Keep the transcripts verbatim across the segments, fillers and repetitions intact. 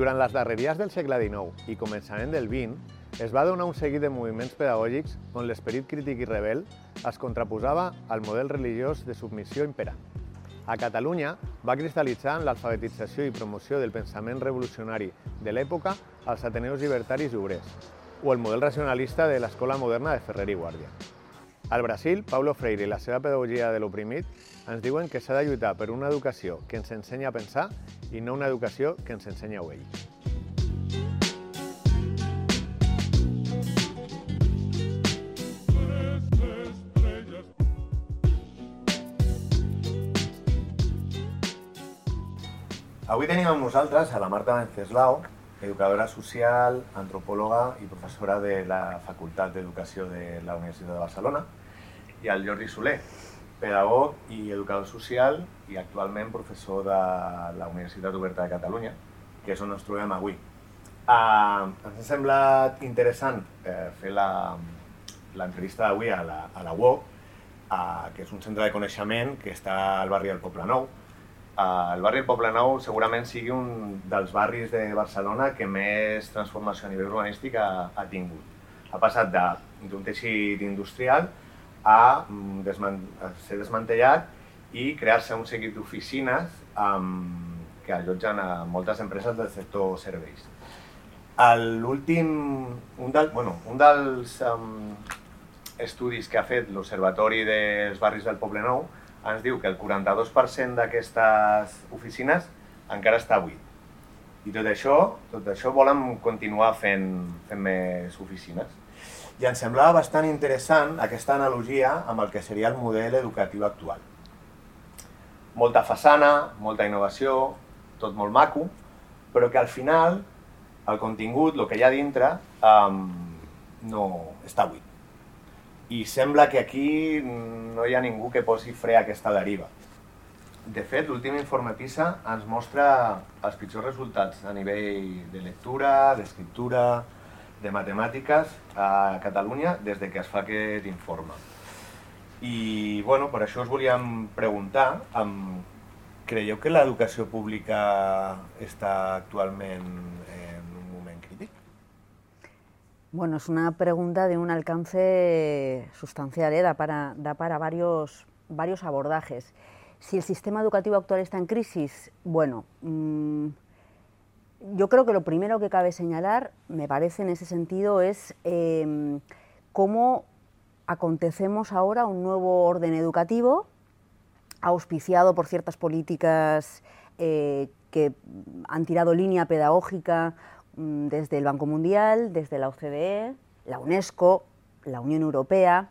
Durant les darreries del segle dinou i començament del vint, es va donar un seguit de moviments pedagògics on l'esperit crític i rebel es contraposava al model religiós de submissió imperant. A Catalunya va cristal·litzar en l'alfabetització i promoció del pensament revolucionari de l'època als Ateneus Llibertaris i Obrers, o el model racionalista de l'escola moderna de Ferrer i Guàrdia. Al Brasil, Paulo Freire i la seva pedagogia de l'oprimit ens diuen que s'ha de lluitar per una educació que ens ensenya a pensar i no una educació que ens ensenya a obeir. Avui tenim amb nosaltres a la Marta Wenceslao, educadora social, antropòloga i professora de la Facultat d'Educació de la Universitat de Barcelona, i al Jordi Soler, pedagog i educador social i actualment professor de la Universitat Oberta de Catalunya, que és on ens trobem avui. Uh, ens ha semblat interessant eh, fer l'entrevista d'avui a la, a la U O C, uh, que és un centre de coneixement que està al barri del Poblenou. Uh, el barri del Poblenou segurament sigui un dels barris de Barcelona que més transformació a nivell urbanístic ha, ha tingut. Ha passat d'un teixit industrial a, desman a ser desmantellat i crear-se un seguit d'oficines um, que allotgen a moltes empreses del sector serveis. L'últim, un, del, bueno, un dels um, estudis que ha fet l'Observatori dels Barris del Poblenou ens diu que el quaranta-dos per cent d'aquestes oficines encara està buit. I tot això, tot això volen continuar fent, fent més oficines. I ens semblava bastant interessant aquesta analogia amb el que seria el model educatiu actual. Molta façana, molta innovació, tot molt maco, però que al final el contingut, el que hi ha dintre, um, no està buit. I sembla que aquí no hi ha ningú que posi fre a aquesta deriva. De fet, l'últim informe PISA ens mostra els pitjors resultats a nivell de lectura, d'escriptura, de matemàtiques a Catalunya des que es fa aquest informe. I bueno, per això us volíem preguntar, um, creieu que l'educació pública està actualment en un moment crític? Bueno, es una pregunta de un alcance sustancial, ¿eh? da para, da para varios, varios abordajes. Si el sistema educativo actual está en crisis, bueno, mmm, yo creo que lo primero que cabe señalar, me parece en ese sentido, es eh, cómo acontecemos ahora un nuevo orden educativo, auspiciado por ciertas políticas eh, que han tirado línea pedagógica mmm, desde el Banco Mundial, desde la O C D E, la UNESCO, la Unión Europea,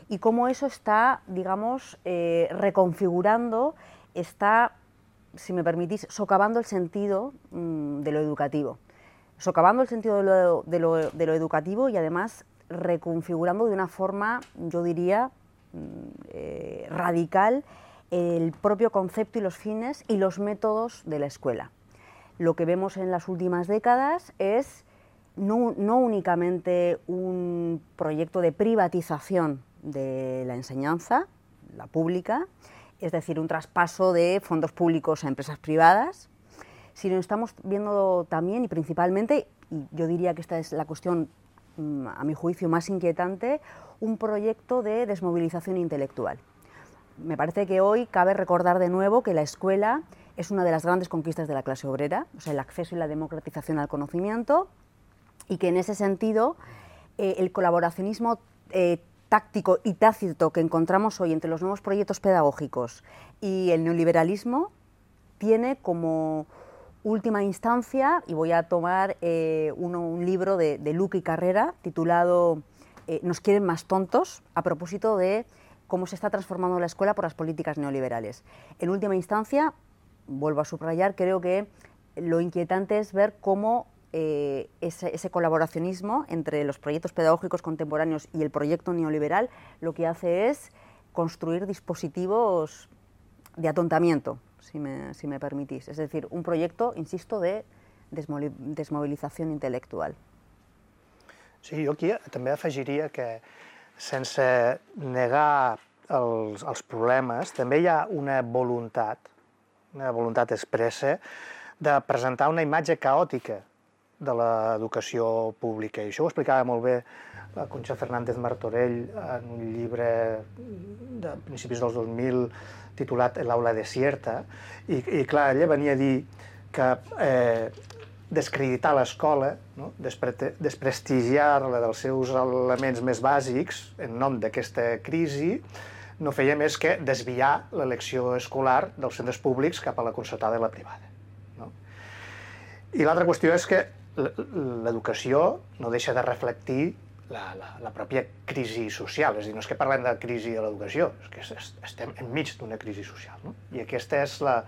y cómo eso está, digamos, eh, reconfigurando, está, si me permitís, socavando el sentido mmm, de lo educativo. Socavando el sentido de lo, de, lo, de lo educativo y además reconfigurando de una forma, yo diría, eh, radical el propio concepto y los fines y los métodos de la escuela. Lo que vemos en las últimas décadas es no, no únicamente un proyecto de privatización de la enseñanza, la pública, es decir, un traspaso de fondos públicos a empresas privadas, sino estamos viendo también y principalmente, y yo diría que esta es la cuestión, a mi juicio, más inquietante, un proyecto de desmovilización intelectual. Me parece que hoy cabe recordar de nuevo que la escuela es una de las grandes conquistas de la clase obrera, o sea, el acceso y la democratización al conocimiento, y que en ese sentido eh, el colaboracionismo eh, táctico y tácito que encontramos hoy entre los nuevos proyectos pedagógicos y el neoliberalismo tiene como última instancia, y voy a tomar eh, uno, un libro de, de Luque y Carrera titulado eh, Nos quieren más tontos, a propósito de cómo se está transformando la escuela por las políticas neoliberales. En última instancia, vuelvo a subrayar, creo que lo inquietante es ver cómo eh, ese, ese colaboracionismo entre los proyectos pedagógicos contemporáneos y el proyecto neoliberal lo que hace es construir dispositivos de atontamiento, si me, si me permitís. Es decir, un proyecto, insisto, de desmovilizació intel·lectual. Sí, jo aquí també afegiria que, sense negar els, els problemes, també hi ha una voluntat, una voluntat expressa de presentar una imatge caòtica de l'educació pública. I això ho explicava molt bé la Concha Fernández Martorell en un llibre de principis dels dos mil titulat El aula desierta, i, i clar, ella venia a dir que eh, descreditar l'escola, no? Despre desprestigiar-la dels seus elements més bàsics en nom d'aquesta crisi, no feia més que desviar l'elecció escolar dels centres públics cap a la concertada i la privada. No? I l'altra qüestió és que l'educació no deixa de reflectir la, la, la pròpia crisi social. És a dir, no és que parlem de crisi de l'educació, és que estem enmig d'una crisi social. No? I aquesta és la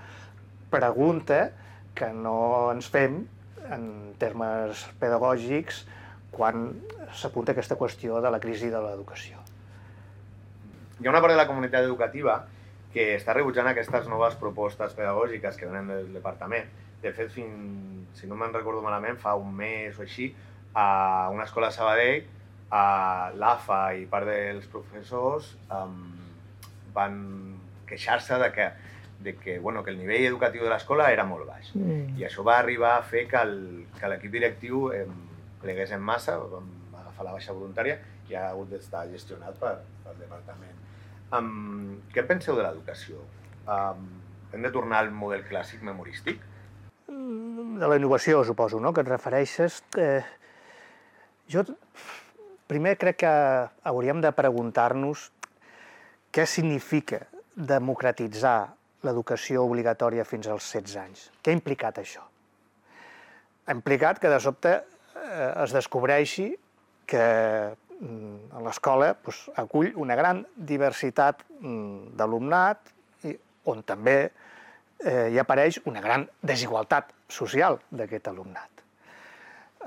pregunta que no ens fem en termes pedagògics quan s'apunta aquesta qüestió de la crisi de l'educació. Hi ha una part de la comunitat educativa que està rebutjant aquestes noves propostes pedagògiques que venen del departament. De fet, fins, si no me'n recordo malament, fa un mes o així, a una escola a Sabadell, a l'A F A i part dels professors um, van queixar-se de que, de que, bueno, que el nivell educatiu de l'escola era molt baix. Mm. I això va arribar a fer que l'equip directiu eh, plegués en massa, vam agafar la baixa voluntària i ha hagut d'estar gestionat per, pel departament. Um, què penseu de l'educació? Um, hem de tornar al model clàssic memorístic? De la innovació, suposo, no?, que et refereixes. Eh, jo primer crec que hauríem de preguntar-nos què significa democratitzar l'educació obligatòria fins als setze anys. Què ha implicat això? Ha implicat que de sobte eh, es descobreixi que mm, l'escola pues, acull una gran diversitat mm, d'alumnat on també eh, hi apareix una gran desigualtat social d'aquest alumnat.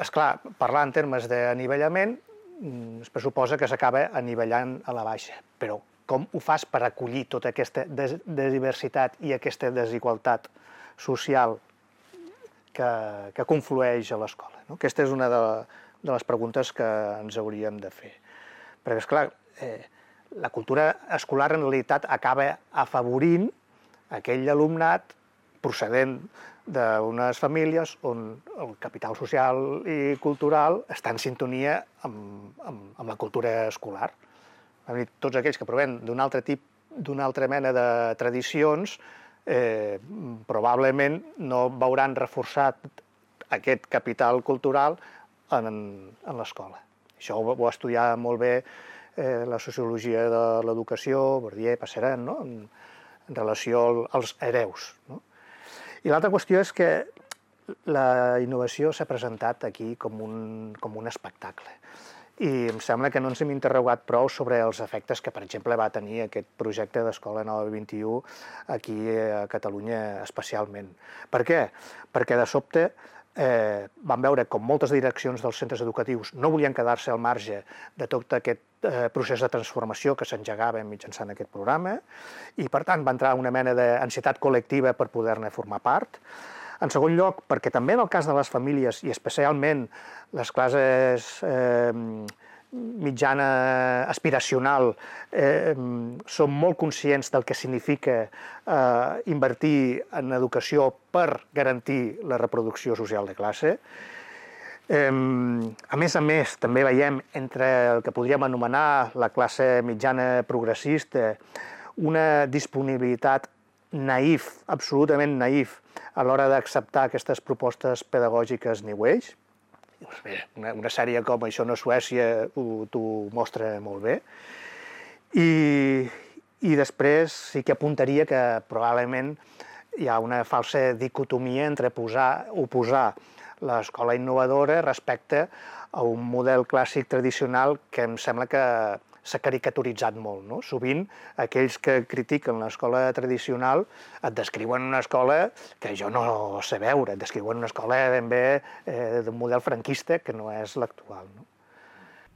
Esclar, parlar en termes d'anivellament es pressuposa que s'acaba anivellant a la baixa, però com ho fas per acollir tota aquesta diversitat i aquesta desigualtat social que, que conflueix a l'escola? No? Aquesta és una de, de les preguntes que ens hauríem de fer. Perquè, esclar, eh, la cultura escolar en realitat acaba afavorint aquell alumnat procedent d'unes famílies on el capital social i cultural està en sintonia amb, amb, amb la cultura escolar. Tots aquells que provenen d'un altre tip, d'una altra mena de tradicions, eh, probablement no veuran reforçat aquest capital cultural en, en l'escola. Això ho va estudiar molt bé eh, la sociologia de l'educació, Bourdieu, Passerelle, no?, en, en relació als hereus. No? I l'altra qüestió és que la innovació s'ha presentat aquí com un, com un espectacle. I em sembla que no ens hem interrogat prou sobre els efectes que, per exemple, va tenir aquest projecte d'Escola Nova vint i u aquí a Catalunya especialment. Per què? Perquè de sobte eh, vam veure com moltes direccions dels centres educatius no volien quedar-se al marge de tot aquest eh, procés de transformació que s'engegava mitjançant aquest programa i, per tant, va entrar una mena d'ansietat col·lectiva per poder-ne formar part. En segon lloc, perquè també en el cas de les famílies, i especialment les classes eh, mitjana aspiracional, eh, són molt conscients del que significa eh, invertir en educació per garantir la reproducció social de classe. Eh, a més a més, també veiem entre el que podríem anomenar la classe mitjana progressista una disponibilitat naïf, absolutament naïf, a l'hora d'acceptar aquestes propostes pedagògiques New Age. Una, una sèrie com Això no és Suècia t'ho mostra molt bé. I, I després sí que apuntaria que probablement hi ha una falsa dicotomia entre posar, oposar l'escola innovadora respecte a un model clàssic tradicional que em sembla que s'ha caricaturitzat molt. No? Sovint, aquells que critiquen l'escola tradicional et descriuen una escola que jo no sé veure, et descriuen una escola ben bé eh, d'un model franquista que no és l'actual. ¿No?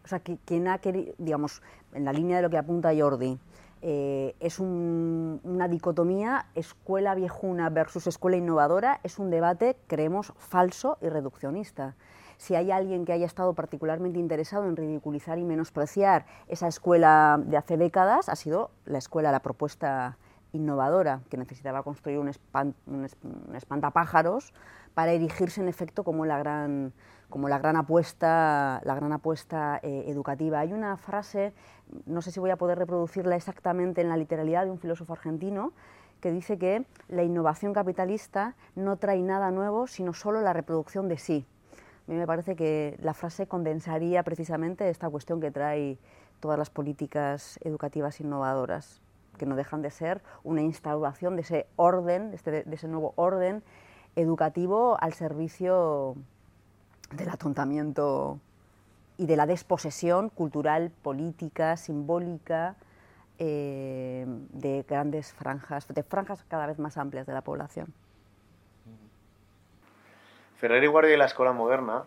O sea, que, quien ha querido, digamos, en la línea de lo que apunta Jordi, eh, es un, una dicotomía escuela viejuna versus escuela innovadora, es un debate, creemos, falso y reduccionista. Si hay alguien que haya estado particularmente interesado en ridiculizar y menospreciar esa escuela de hace décadas, ha sido la escuela, la propuesta innovadora, que necesitaba construir un, espant, un, un espantapájaros para erigirse en efecto como la gran, como la gran apuesta, la gran apuesta eh, educativa. Hay una frase, no sé si voy a poder reproducirla exactamente en la literalidad, de un filósofo argentino, que dice que la innovación capitalista no trae nada nuevo, sino solo la reproducción de sí. A mí me parece que la frase condensaría precisamente esta cuestión que trae todas las políticas educativas innovadoras, que no dejan de ser una instauración de ese orden, de, este, de ese nuevo orden educativo al servicio del atontamiento y de la desposesión cultural, política, simbólica, eh, de grandes franjas, de franjas cada vez más amplias de la población. Ferrer i Guàrdia i l'Escola Moderna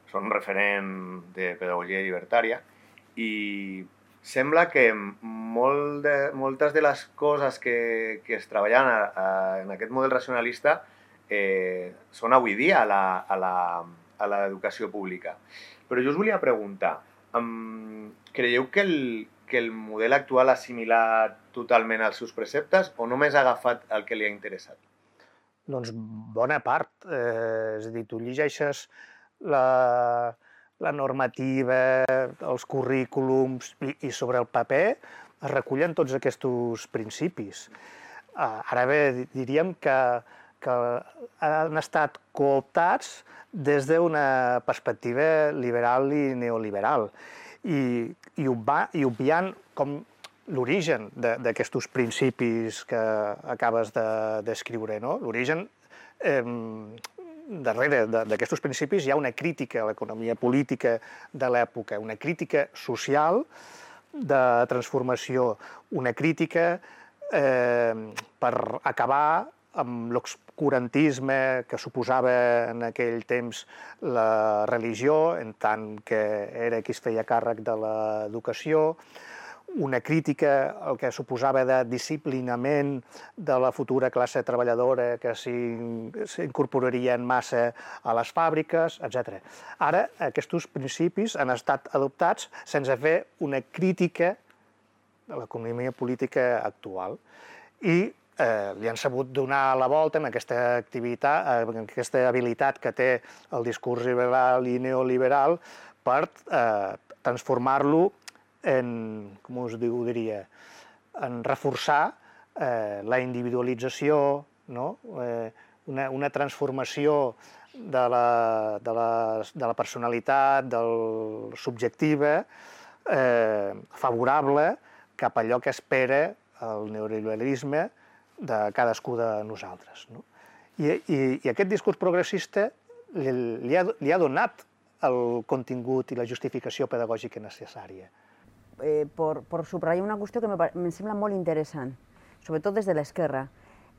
són un referent de pedagogia llibertària i sembla que molt de, moltes de les coses que, que es treballen a, a, en aquest model racionalista eh, són avui dia a l'educació pública. Però jo us volia preguntar, um, creieu que el, que el model actual ha assimilat totalment els seus preceptes o només ha agafat el que li ha interessat? Doncs bona part. Eh, és a dir, tu llegeixes la, la normativa, els currículums i, i sobre el paper es recullen tots aquests principis. Uh, ara bé, diríem que, que han estat cooptats des d'una perspectiva liberal i neoliberal i, i, obva, i obviant com l'origen d'aquests principis que acabes de descriure, no? L'origen, eh, darrere d'aquests principis hi ha una crítica a l'economia política de l'època, una crítica social de transformació, una crítica eh, per acabar amb l'obscurantisme que suposava en aquell temps la religió, en tant que era qui es feia càrrec de l'educació, una crítica al que suposava de disciplinament de la futura classe treballadora que s'incorporaria en massa a les fàbriques, etcètera. Ara, aquests principis han estat adoptats sense fer una crítica de l'economia política actual i eh, li han sabut donar la volta amb aquesta activitat, amb aquesta habilitat que té el discurs liberal i neoliberal per eh, transformar-lo en, com us diria, en reforçar eh, la individualització, no? eh, una, una transformació de la, de, la, de la personalitat, del subjectiva, eh, favorable cap a allò que espera el neoliberalisme de cadascú de nosaltres. No? I, i, I aquest discurs progressista li, li, ha, li ha donat el contingut i la justificació pedagògica necessària. Eh, por, por subrayar una qüestió que me, me sembla molt interessant, sobretot des de l'esquerra.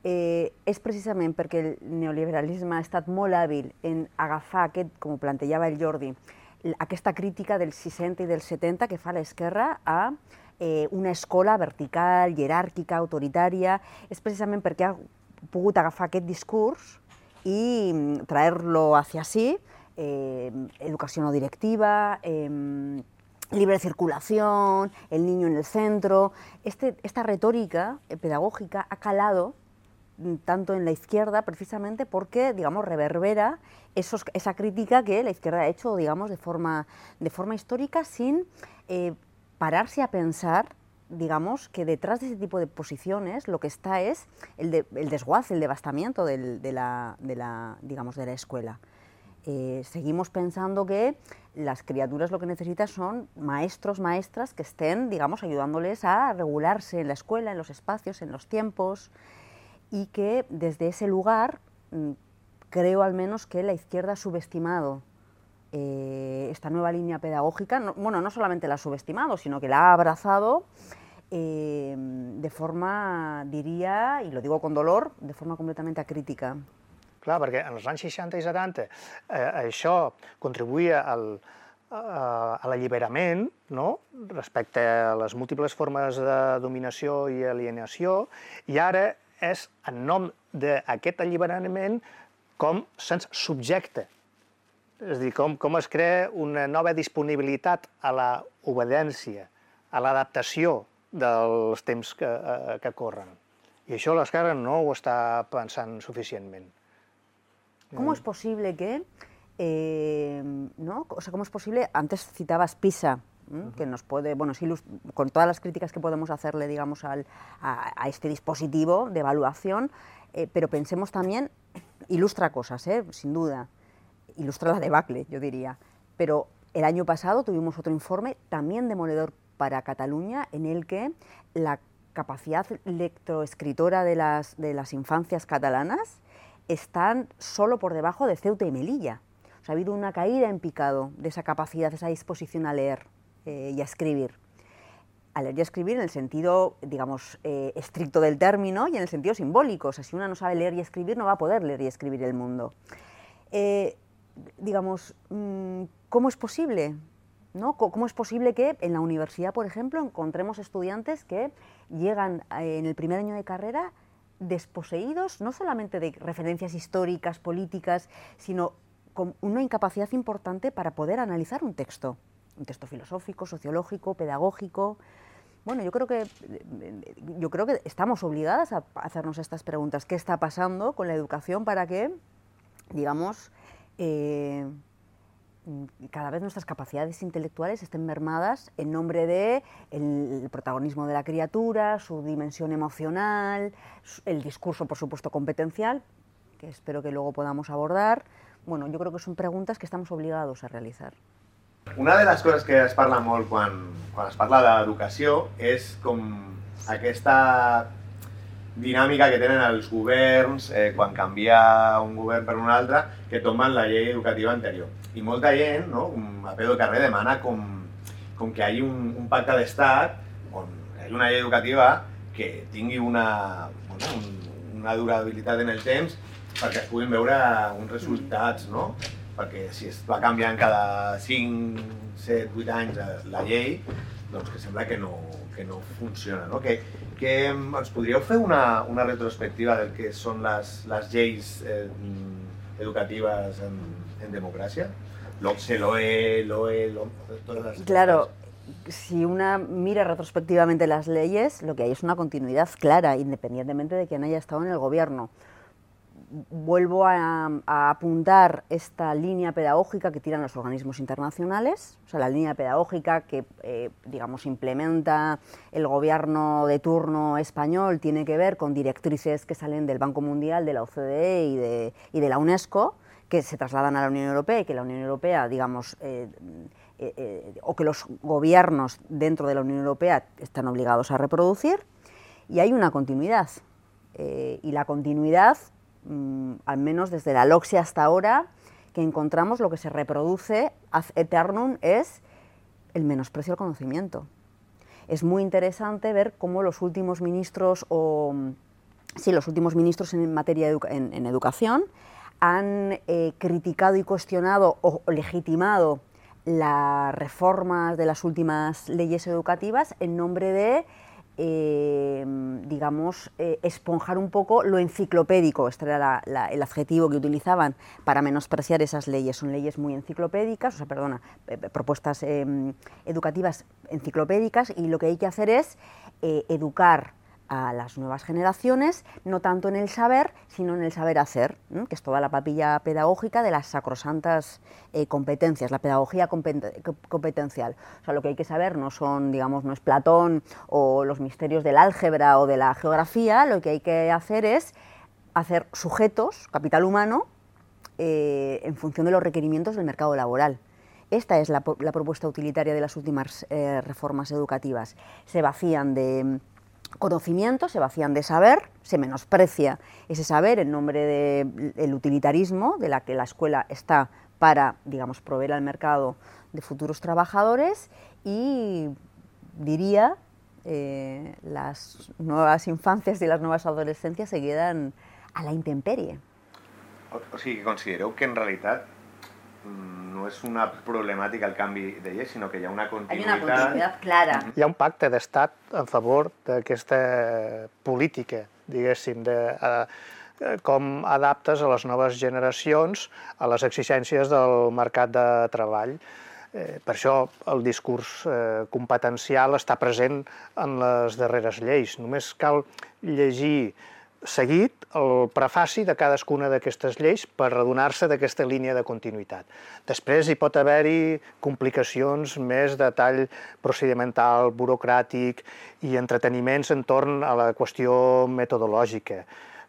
Eh, és precisament perquè el neoliberalisme ha estat molt hàbil en agafar aquest, com ho plantejava el Jordi, aquesta crítica del seixanta i del setanta que fa l'esquerra a eh, una escola vertical, jeràrquica, autoritària. És precisament perquè ha pogut agafar aquest discurs i traer-lo hacia sí, eh, educació no directiva, eh, libre circulación, el niño en el centro. Este, esta retórica pedagógica ha calado tanto en la izquierda precisamente porque, digamos, reverbera esos, esa crítica que la izquierda ha hecho, digamos, de forma, de forma histórica sin eh, pararse a pensar, digamos, que detrás de ese tipo de posiciones lo que está es el, de, el desguace, el devastamiento del, de, la, de, la, digamos, de la escuela. Eh, seguimos pensando que las criaturas lo que necesitan son maestros, maestras que estén, digamos, ayudándoles a regularse en la escuela, en los espacios, en los tiempos, y que desde ese lugar creo al menos que la izquierda ha subestimado eh, esta nueva línea pedagógica. No, bueno, no solamente la ha subestimado, sino que la ha abrazado eh, de forma, diría, y lo digo con dolor, de forma completamente acrítica. Clar, perquè en els anys seixanta i setanta eh, això contribuïa al, a, a l'alliberament, no? Respecte a les múltiples formes de dominació i alienació, i ara és en nom d'aquest alliberament com se'ns subjecta. És a dir, com, com es crea una nova disponibilitat a l'obediència, a l'adaptació dels temps que, eh, que corren. I això l'esquerra no ho està pensant suficientment. ¿Cómo es posible que, eh, ¿no? O sea, cómo es posible, antes citabas PISA, ¿m? Que nos puede, bueno, sí, con todas las críticas que podemos hacerle, digamos, al, a, a este dispositivo de evaluación, eh, pero pensemos también, ilustra cosas, ¿eh? Sin duda, ilustra la debacle, yo diría, pero el año pasado tuvimos otro informe también demoledor para Cataluña, en el que la capacidad lectoescritora de las, de las infancias catalanas están solo por debajo de Ceuta y Melilla. O sea, ha habido una caída en picado de esa capacidad, de esa disposición a leer eh, y a escribir. A leer y a escribir en el sentido, digamos, eh, estricto del término y en el sentido simbólico. O sea, si una no sabe leer y escribir, no va a poder leer y escribir el mundo. Eh, digamos, ¿cómo es posible? ¿No? ¿Cómo es posible que en la universidad, por ejemplo, encontremos estudiantes que llegan en el primer año de carrera desposeídos no solamente de referencias históricas, políticas, sino con una incapacidad importante para poder analizar un texto, un texto filosófico, sociológico, pedagógico? Bueno, yo creo que, yo creo que estamos obligadas a hacernos estas preguntas. ¿Qué está pasando con la educación para que, digamos, eh, cada vez nuestras capacidades intelectuales estén mermadas en nombre de el protagonismo de la criatura, su dimensión emocional, el discurso, por supuesto, competencial, que espero que luego podamos abordar? Bueno, yo creo que son preguntas que estamos obligados a realizar. Una de les coses que es parla molt quan, quan es parla d'educació és com aquesta dinàmica que tenen els governs eh, quan canvia un govern per un altre, que tomben la llei educativa anterior. I molta gent, no, a peu de carrer, demana com, com que hi hagi un, un pacte d'estat on hi hagi una llei educativa que tingui una, bueno, un, una durabilitat en el temps perquè es puguin veure uns resultats, no? Perquè si es va canviant cada cinc, set, vuit anys la llei, doncs que sembla que no, que no funciona, no? Que, que ens podríeu fer una, una retrospectiva del que són les, les lleis eh, educatives en, en democràcia? L'OCSE, l'OE, l'OE, todas las... Claro, si una mira retrospectivamente las leyes, lo que hay es una continuidad clara, independientemente de quién haya estado en el gobierno. Vuelvo a, a apuntar esta línea pedagógica que tiran los organismos internacionales, o sea, la línea pedagógica que, eh, digamos, implementa el gobierno de turno español tiene que ver con directrices que salen del Banco Mundial, de la O C D E y de, y de la UNESCO, que se trasladan a la Unión Europea y que la Unión Europea, digamos, eh, eh, eh, o que los gobiernos dentro de la Unión Europea están obligados a reproducir, y hay una continuidad, eh, y la continuidad, al menos desde la LOCSE hasta ahora, que encontramos lo que se reproduce ad eternum es el menosprecio al conocimiento. Es muy interesante ver cómo los últimos ministros, o sí, los últimos ministros en materia de en, en educación han eh, criticado y cuestionado o legitimado las reformas de las últimas leyes educativas en nombre de Eh, digamos, eh, esponjar un poco lo enciclopédico. Este era la, la, el adjetivo que utilizaban para menospreciar esas leyes. Son leyes muy enciclopédicas, o sea, perdona, eh, propuestas eh, educativas enciclopédicas, y lo que hay que hacer es eh, educar a las nuevas generaciones, no tanto en el saber, sino en el saber hacer, ¿no? Que es toda la papilla pedagógica de las sacrosantas eh, competencias, la pedagogía competencial. O sea, lo que hay que saber no son, digamos, no es Platón o los misterios del álgebra o de la geografía, lo que hay que hacer es hacer sujetos, capital humano, eh, en función de los requerimientos del mercado laboral. Esta es la, la propuesta utilitaria de las últimas eh, reformas educativas. Se vacían de conocimiento, se vacían de saber, se menosprecia ese saber en nombre del utilitarismo, de la que la escuela está para, digamos, proveer al mercado de futuros trabajadores, y diría, eh, las nuevas infancias y las nuevas adolescencias se quedan a la intemperie. O, o sigui, considereu que en realitat no és una problemàtica el canvi de llei, sinó que hi ha una continuïtat... Hay una continuïtat clara. Hi ha un pacte d'estat en favor d'aquesta política, diguéssim, de eh, com adaptes a les noves generacions a les exigències del mercat de treball. Per això el discurs competencial està present en les darreres lleis. Només cal llegir seguit el prefaci de cadascuna d'aquestes lleis per adonar-se d'aquesta línia de continuïtat. Després hi pot haver-hi complicacions més de tall procedimental, burocràtic i entreteniments entorn a la qüestió metodològica,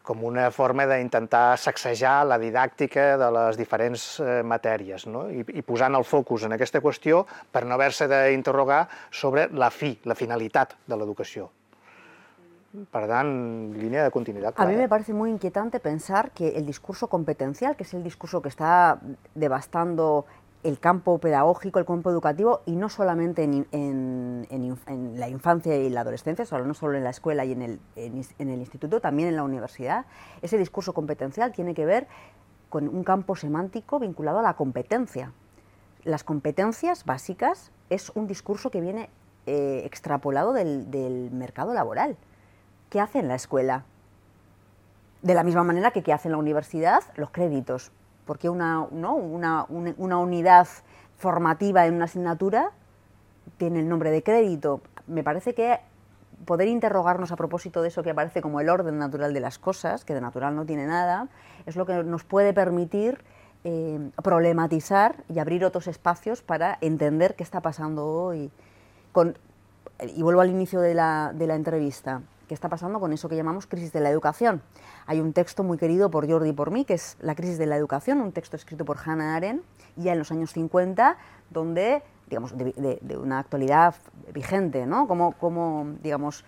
com una forma d'intentar sacsejar la didàctica de les diferents matèries, i posant el focus en aquesta qüestió per no haver-se d'interrogar sobre la fi, la finalitat de l'educació. Per tant, línea de continuidad clara. A mí me parece muy inquietante pensar que el discurso competencial, que es el discurso que está devastando el campo pedagógico, el campo educativo, y no solamente en, en, en, en la infancia y la adolescencia, no solo en la escuela y en el, en, en el instituto, también en la universidad, ese discurso competencial tiene que ver con un campo semántico vinculado a la competencia. Las competencias básicas es un discurso que viene eh, extrapolado del, del mercado laboral. ¿Qué hace en la escuela? De la misma manera que qué hace en la universidad, los créditos. Porque una, ¿no? una, una unidad formativa en una asignatura tiene el nombre de crédito. Me parece que poder interrogarnos a propósito de eso que aparece como el orden natural de las cosas, que de natural no tiene nada, es lo que nos puede permitir eh, problematizar y abrir otros espacios para entender qué está pasando hoy. Con, y vuelvo al inicio de la, de la entrevista. ¿Qué está pasando con eso que llamamos crisis de la educación? Hay un texto muy querido por Jordi y por mí, que es La crisis de la educación, un texto escrito por Hannah Arendt, ya en los años cincuenta, donde, digamos, de, de, de una actualidad vigente, ¿no? Como, como, digamos,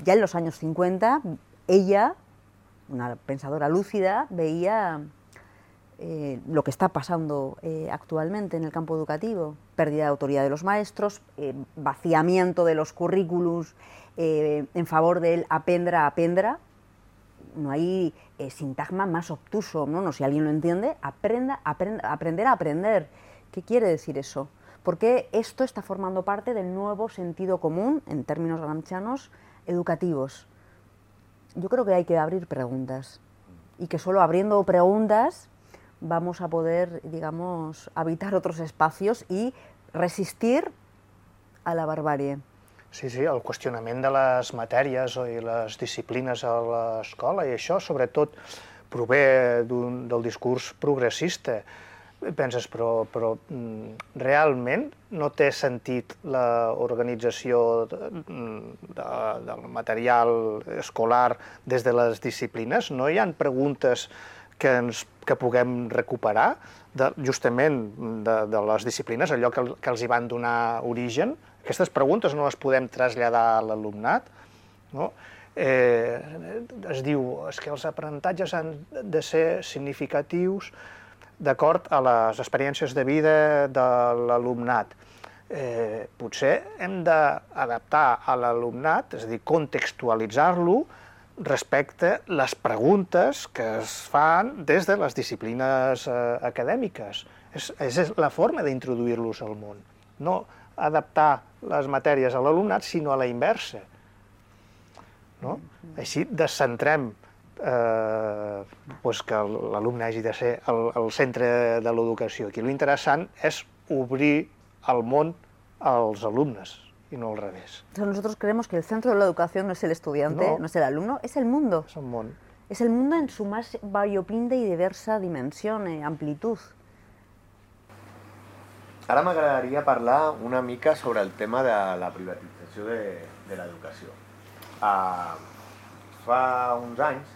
ya en los años cincuenta, ella, una pensadora lúcida, veía eh, lo que está pasando eh, actualmente en el campo educativo, pérdida de autoridad de los maestros, eh, vaciamiento de los currículums, Eh, en favor del aprendra, aprendra. No hay eh, sintagma más obtuso, ¿no? No, si alguien lo entiende, aprenda, aprenda, aprender a aprender. ¿Qué quiere decir eso? Porque esto está formando parte del nuevo sentido común, en términos gramscianos, educativos. Yo creo que hay que abrir preguntas y que solo abriendo preguntas vamos a poder, digamos, habitar otros espacios y resistir a la barbarie. Sí, sí, el qüestionament de les matèries i les disciplines a l'escola, i això sobretot prové del discurs progressista. Penses, però, però realment no té sentit l'organització de, de, del material escolar des de les disciplines? No hi ha preguntes que, ens, que puguem recuperar de, justament de, de les disciplines, allò que, que els hi van donar origen? Aquestes preguntes no les podem traslladar a l'alumnat, no? Eh, es diu és que els aprenentatges han de ser significatius d'acord a les experiències de vida de l'alumnat. Eh, potser hem d'adaptar a l'alumnat, és a dir, contextualitzar-lo respecte a les preguntes que es fan des de les disciplines eh, acadèmiques. És, és la forma d'introduir-los al món. No adaptar les matèries a l'alumnat, sinó a la inversa. No? Així descentrem eh, pues que l'alumne hagi de ser el, el centre de l'educació. Aquí l'interessant és obrir el món als alumnes y no al revés. Nosotros creemos que el centro de la educación no es el estudiante, no, no es el alumno, es el mundo. És el món. Es el mundo en su más variopinta y diversa dimensión, eh, amplitud. Ara m'agradaria parlar una mica sobre el tema de la privatització de, de l'educació. Uh, fa uns anys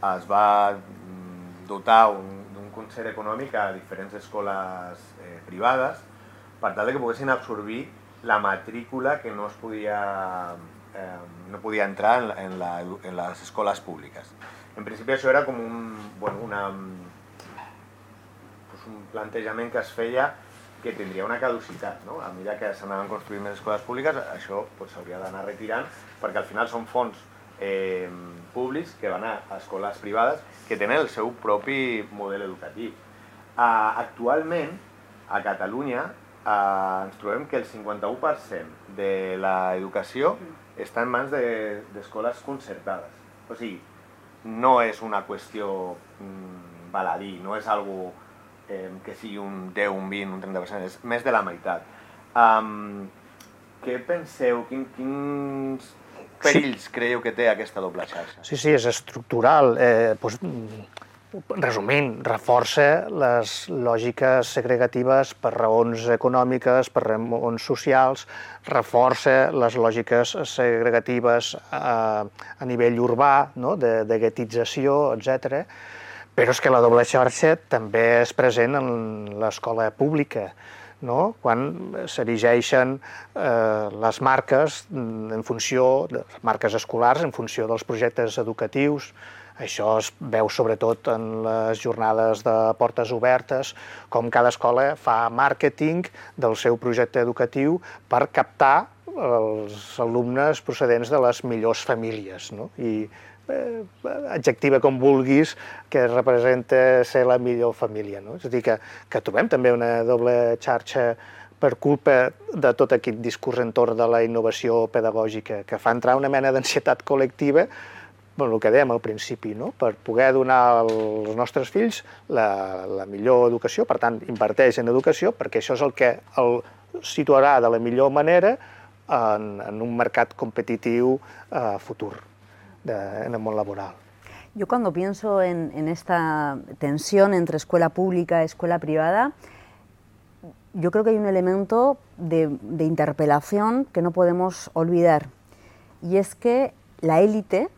es va dotar d'un concert econòmic a diferents escoles eh, privades per tal que poguessin absorbir la matrícula que no es podia, eh, no podia entrar en, en, la, en les escoles públiques. En principi això era com un, bueno, una, pues un plantejament que es feia que tindria una caducitat, no? A mesura que s'anaven construint més escoles públiques, això s'hauria pues, d'anar retirant, perquè al final són fons eh, públics que van a escoles privades que tenen el seu propi model educatiu. Uh, actualment, a Catalunya, uh, ens trobem que el cinquanta-u per cent de l'educació està en mans d'escoles de, concertades. O sigui, no és una qüestió mm, baladí, no és algo eh, que sigui un deu, un vint, un trenta per cent, és més de la meitat. Um, què penseu, quin, quins perills sí. creieu que té aquesta doble xarxa? Sí, sí, és estructural. Eh, doncs, resumint, reforça les lògiques segregatives per raons econòmiques, per raons socials, reforça les lògiques segregatives a, a nivell urbà, no? de, de guetització, etcètera. Però és que la doble xarxa també és present en l'escola pública, no? Quan s'erigeixen eh, les marques en funció, les marques escolars en funció dels projectes educatius. Això es veu sobretot en les jornades de portes obertes, com cada escola fa màrqueting del seu projecte educatiu per captar els alumnes procedents de les millors famílies, no? I eh, adjectiva com vulguis que representa ser la millor família, no? És a dir, que, que trobem també una doble xarxa per culpa de tot aquest discurs entorn de la innovació pedagògica, que fa entrar una mena d'ansietat col·lectiva, el que dèiem al principi, no? Per poder donar als nostres fills la, la millor educació, per tant, inverteix en educació, perquè això és el que el situarà de la millor manera en, en un mercat competitiu eh, futur, de, en el món laboral. Yo cuando pienso en, en esta tensión entre escuela pública y escuela privada, yo creo que hay un elemento de, de interpelación que no podemos olvidar, y es que la élite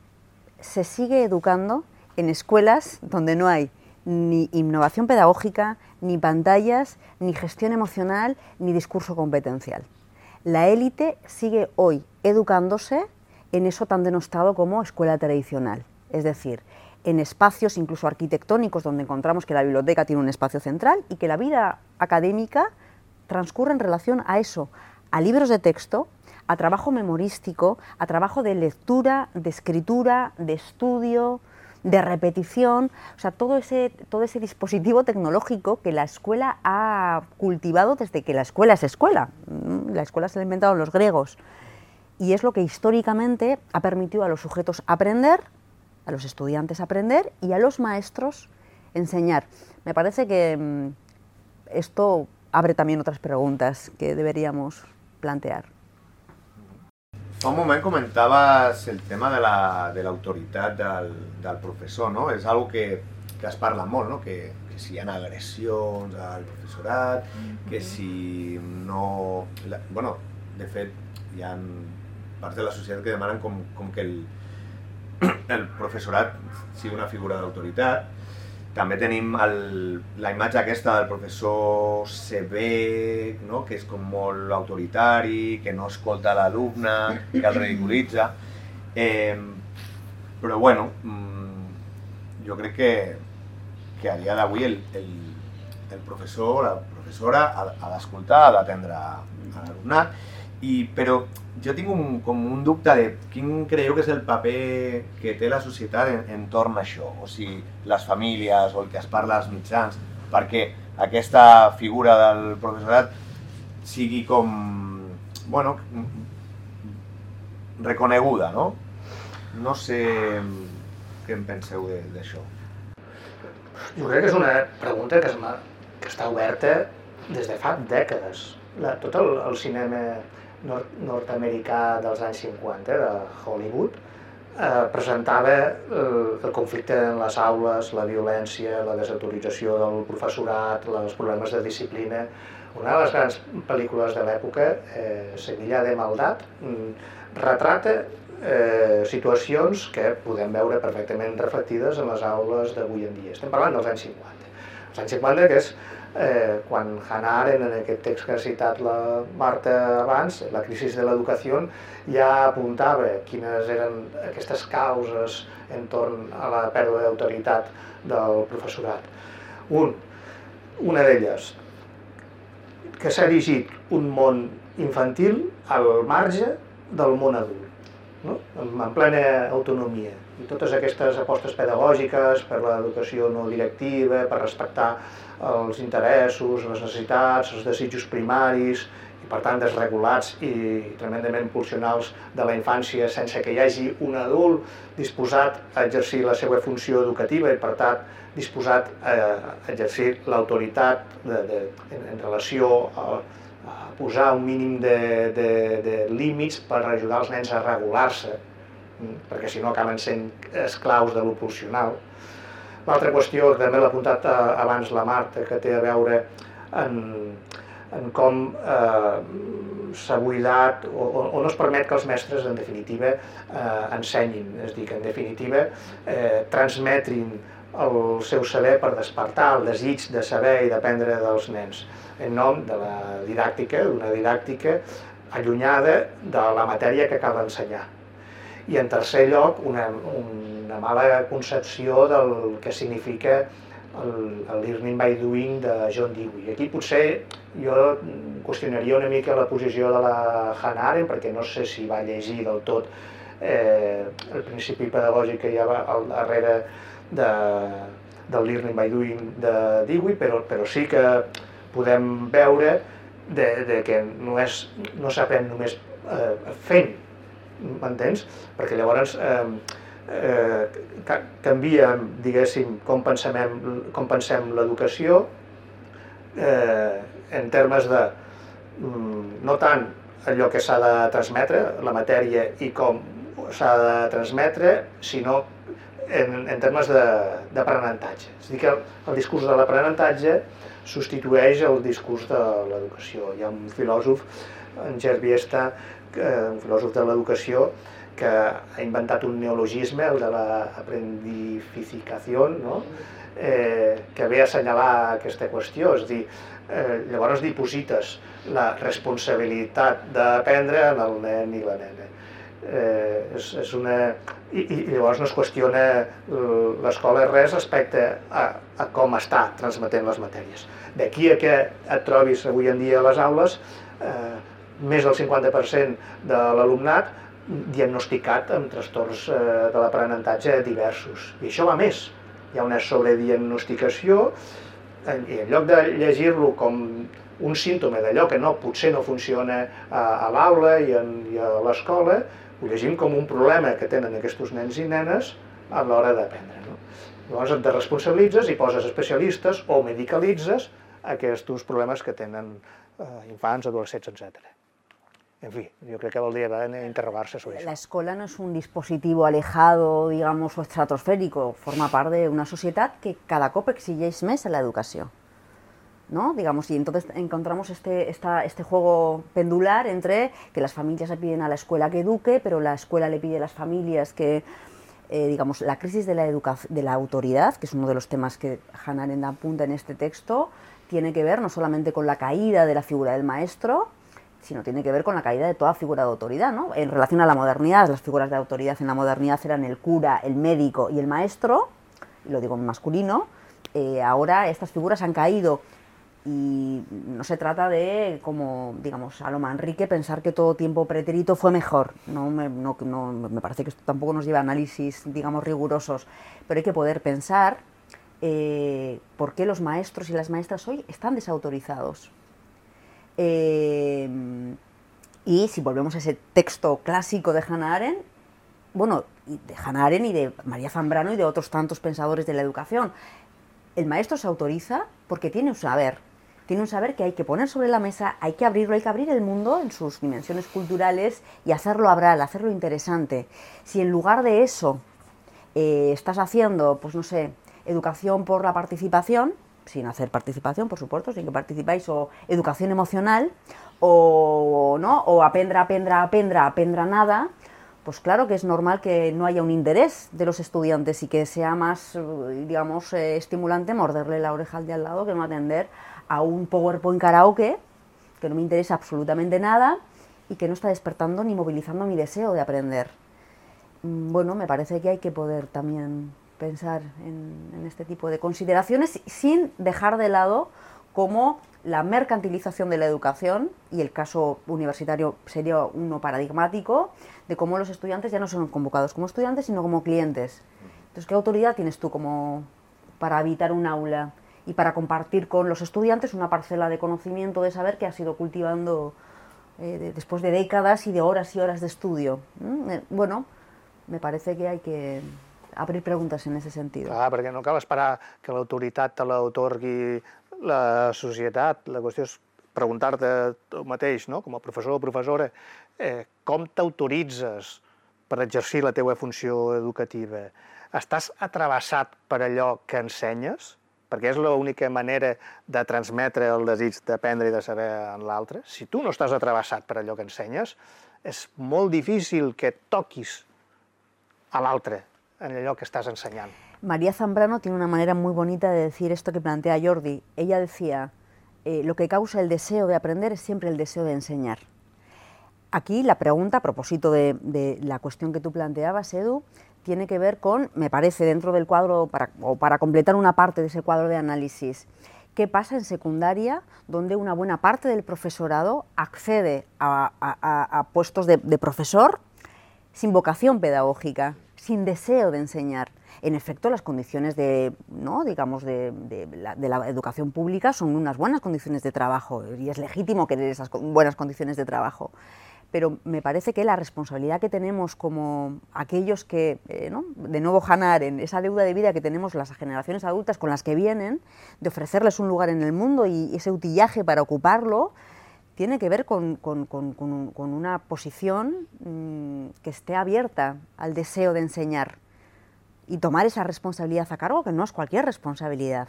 se sigue educando en escuelas donde no hay ni innovación pedagógica, ni pantallas, ni gestión emocional, ni discurso competencial. La élite sigue hoy educándose en eso tan denostado como escuela tradicional, es decir, en espacios incluso arquitectónicos donde encontramos que la biblioteca tiene un espacio central y que la vida académica transcurre en relación a eso, a libros de texto, a trabajo memorístico, a trabajo de lectura, de escritura, de estudio, de repetición, o sea, todo ese, todo ese dispositivo tecnológico que la escuela ha cultivado desde que la escuela es escuela. La escuela se la inventaron los griegos y es lo que históricamente ha permitido a los sujetos aprender, a los estudiantes aprender y a los maestros enseñar. Me parece que mmm, esto abre también otras preguntas que deberíamos plantear. Fa un moment comentaves el tema de l'autoritat la, de del, del professor, no? És una que, que es parla molt, no? Que, que si hi ha agressions al professorat, que si no... La, bueno, de fet, hi ha parts de la societat que demanen com, com que el, el professorat sigui una figura d'autoritat. També tenim el, la imatge aquesta del professor sever, no? Que és com molt autoritari, que no escolta l'alumne, que el ridiculitza. Eh, però bueno, jo crec que, que a dia d'avui el, el, el professor o la professora ha, ha d'escoltar, ha d'atendre a l'alumnat, i, però jo tinc un, com un dubte de quin creieu que és el paper que té la societat en, entorn a això, o sigui, les famílies o el que es parla als mitjans, perquè aquesta figura del professorat sigui com, bueno, reconeguda, no? No sé què en penseu d'això. Jo crec que és una pregunta que, es, que està oberta des de fa dècades. La, tot el, el cinema nord, nord-americà dels anys cinquanta, de Hollywood, eh, presentava el, el conflicte en les aules, la violència, la desautorització del professorat, els problemes de disciplina. Una de les grans pel·lícules de l'època, eh, Sevilla de Maldat, retrata eh, situacions que podem veure perfectament reflectides en les aules d'avui en dia. Estem parlant dels anys cinquanta. Els anys cinquanta, que és Eh, quan Hannah Arendt, en aquest text que ha citat la Marta abans, La crisi de l'educació, ja apuntava quines eren aquestes causes entorn a la pèrdua d'autoritat del professorat. Un, una d'elles, que s'ha erigit un món infantil al marge del món adult, no? En plena autonomia. I totes aquestes apostes pedagògiques per l'educació no directiva, per respectar els interessos, les necessitats, els desitjos primaris, i per tant desregulats i tremendament pulsionals de la infància, sense que hi hagi un adult disposat a exercir la seva funció educativa i per tant disposat a exercir l'autoritat en, en relació a, a posar un mínim de, de, de límits per ajudar els nens a regular-se, perquè si no acaben sent esclaus de lo pulsional. L'altra qüestió, que també l'ha apuntat abans la Marta, que té a veure en, en com eh, s'ha buidat o, o no es permet que els mestres, en definitiva, eh, ensenyin, és a dir, que en definitiva eh, transmetrin el seu saber per despertar el desig de saber i d'aprendre dels nens, en nom de la didàctica, d'una didàctica allunyada de la matèria que cal ensenyar. I en tercer lloc, una, una mala concepció del que significa el, el learning by doing de John Dewey. Aquí potser jo qüestionaria una mica la posició de la Hannah Arendt, perquè no sé si va llegir del tot eh, el principi pedagògic que hi ha al darrere de, del learning by doing de Dewey, però, però sí que podem veure de, de que no, és, no s'aprèn només eh, fent, m'entens? Perquè llavors eh, eh, canvia, diguéssim, com pensem, com pensem l'educació eh, en termes de no tant allò que s'ha de transmetre, la matèria i com s'ha de transmetre, sinó en, en termes d'aprenentatge. És a dir, que el, el discurs de l'aprenentatge substitueix el discurs de l'educació. Hi ha un filòsof, en Gerbiesta, un filòsof de l'educació, que ha inventat un neologisme, el de l'aprendificació, no? eh, que ve a assenyalar aquesta qüestió. És a dir, eh, llavors diposites la responsabilitat d'aprendre en el nen i la nena. Eh, és, és una... I, I llavors no es qüestiona l'escola res respecte a, a com està transmetent les matèries. D'aquí a que et trobis avui en dia a les aules eh, més del cinquanta per cent de l'alumnat diagnosticat amb trastorns eh, de l'aprenentatge diversos. I això va més. Hi ha una sobrediagnosticació i en lloc de llegir-lo com un símptoma d'allò que no, potser no funciona a, a l'aula i, en, i a l'escola, ho llegim com un problema que tenen aquests nens i nenes a l'hora d'aprendre. No? Llavors et responsabilitzes i poses especialistes o medicalitzes aquests problemes que tenen eh, infants, adolescents, etcètera. En fin, yo creo que valdría la pena interrogarse sobre eso. La escuela no es un dispositivo alejado, digamos, o estratosférico, forma part d'una societat que cada cop exigeix més a la educació, ¿no? Digamos, y entonces encontramos este, esta, este juego pendular entre que las familias le piden a la escuela que eduque, pero la escuela le pide a las familias que, eh, digamos, la crisis de la, de la autoridad, que es uno de los temas que Hannah Arendt apunta en este texto, tiene que ver no solamente con la caída de la figura del maestro, sino tiene que ver con la caída de toda figura de autoridad, ¿no? En relación a la modernidad, las figuras de autoridad en la modernidad eran el cura, el médico y el maestro, y lo digo en masculino. Eh, ahora estas figuras han caído y no se trata de, como, digamos, a lo Manrique, pensar que todo tiempo pretérito fue mejor. No me, no, no, me parece que esto tampoco nos lleva a análisis, digamos, rigurosos, pero hay que poder pensar eh, por qué los maestros y las maestras hoy están desautorizados. Eh, y si volvemos a ese texto clásico de Hannah Arendt, bueno, de Hannah Arendt y de María Zambrano y de otros tantos pensadores de la educación, el maestro se autoriza porque tiene un saber, tiene un saber que hay que poner sobre la mesa, hay que abrirlo, hay que abrir el mundo en sus dimensiones culturales y hacerlo hablar, hacerlo interesante. Si en lugar de eso eh, estás haciendo, pues no sé, educación por la participación, sin hacer participación, por supuesto, sin que participáis, o educación emocional, o, ¿no? o aprendra, aprendra, aprendra, aprendra nada, pues claro que es normal que no haya un interés de los estudiantes y que sea más, digamos, eh, estimulante morderle la oreja al de al lado que no atender a un PowerPoint karaoke que no me interesa absolutamente nada y que no está despertando ni movilizando mi deseo de aprender. Bueno, me parece que hay que poder también pensar en, en este tipo de consideraciones sin dejar de lado cómo la mercantilización de la educación, y el caso universitario sería uno paradigmático, de cómo los estudiantes ya no son convocados como estudiantes, sino como clientes. Entonces, ¿qué autoridad tienes tú como para habitar un aula y para compartir con los estudiantes una parcela de conocimiento, de saber que has ido cultivando eh, de, después de décadas y de horas y horas de estudio. ¿Mm? Eh, bueno, me parece que hay que abrir preguntes en ese sentido. Clar, perquè no cal esperar que l'autoritat te l'autorgui la societat. La qüestió és preguntar-te tu mateix, no? Com a professor o professora, eh, com t'autoritzes per exercir la teva funció educativa? Estàs atrevessat per allò que ensenyes? Perquè és l'única manera de transmetre el desig d'aprendre i de saber en l'altre. Si tu no estàs atrevessat per allò que ensenyes, és molt difícil que toquis a l'altre en allò que estás enseñando. María Zambrano tiene una manera muy bonita de decir esto que plantea Jordi. Ella decía, eh, lo que causa el deseo de aprender es siempre el deseo de enseñar. Aquí la pregunta, a propósito de, de la cuestión que tú planteabas, Edu, tiene que ver con, me parece, dentro del cuadro, para, o para completar una parte de ese cuadro de análisis, ¿qué pasa en secundaria, donde una buena parte del profesorado accede a, a, a puestos de, de profesor sin vocación pedagógica, sin deseo de enseñar? En efecto, las condiciones de, ¿no? digamos, de, de, la, de la educación pública son unas buenas condiciones de trabajo y es legítimo querer esas buenas condiciones de trabajo. Pero me parece que la responsabilidad que tenemos como aquellos que, eh, ¿no? de nuevo Hannah Arendt, esa deuda de vida que tenemos las generaciones adultas con las que vienen, de ofrecerles un lugar en el mundo y ese utillaje para ocuparlo, tiene que ver con, con, con, con, con una posición mmm, que esté abierta al deseo de enseñar y tomar esa responsabilidad a cargo, que no es cualquier responsabilidad.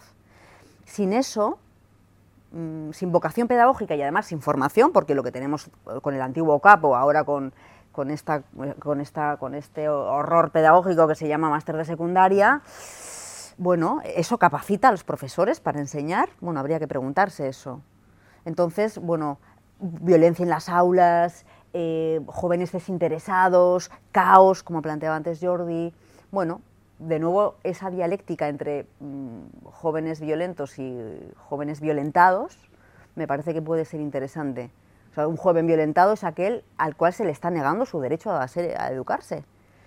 Sin eso, mmm, sin vocación pedagógica y además sin formación, porque lo que tenemos con el antiguo capo, ahora con, con, esta, con, esta, con este horror pedagógico que se llama máster de secundaria, bueno, ¿eso capacita a los profesores para enseñar? Bueno, habría que preguntarse eso. Entonces, bueno, violencia en las aulas, eh, jóvenes desinteresados, caos, como planteaba antes Jordi. Bueno, de nuevo, esa dialéctica entre mmm, jóvenes violentos y jóvenes violentados me parece que puede ser interesante. O sea, un joven violentado es aquel al cual se le está negando su derecho a, ser, a educarse,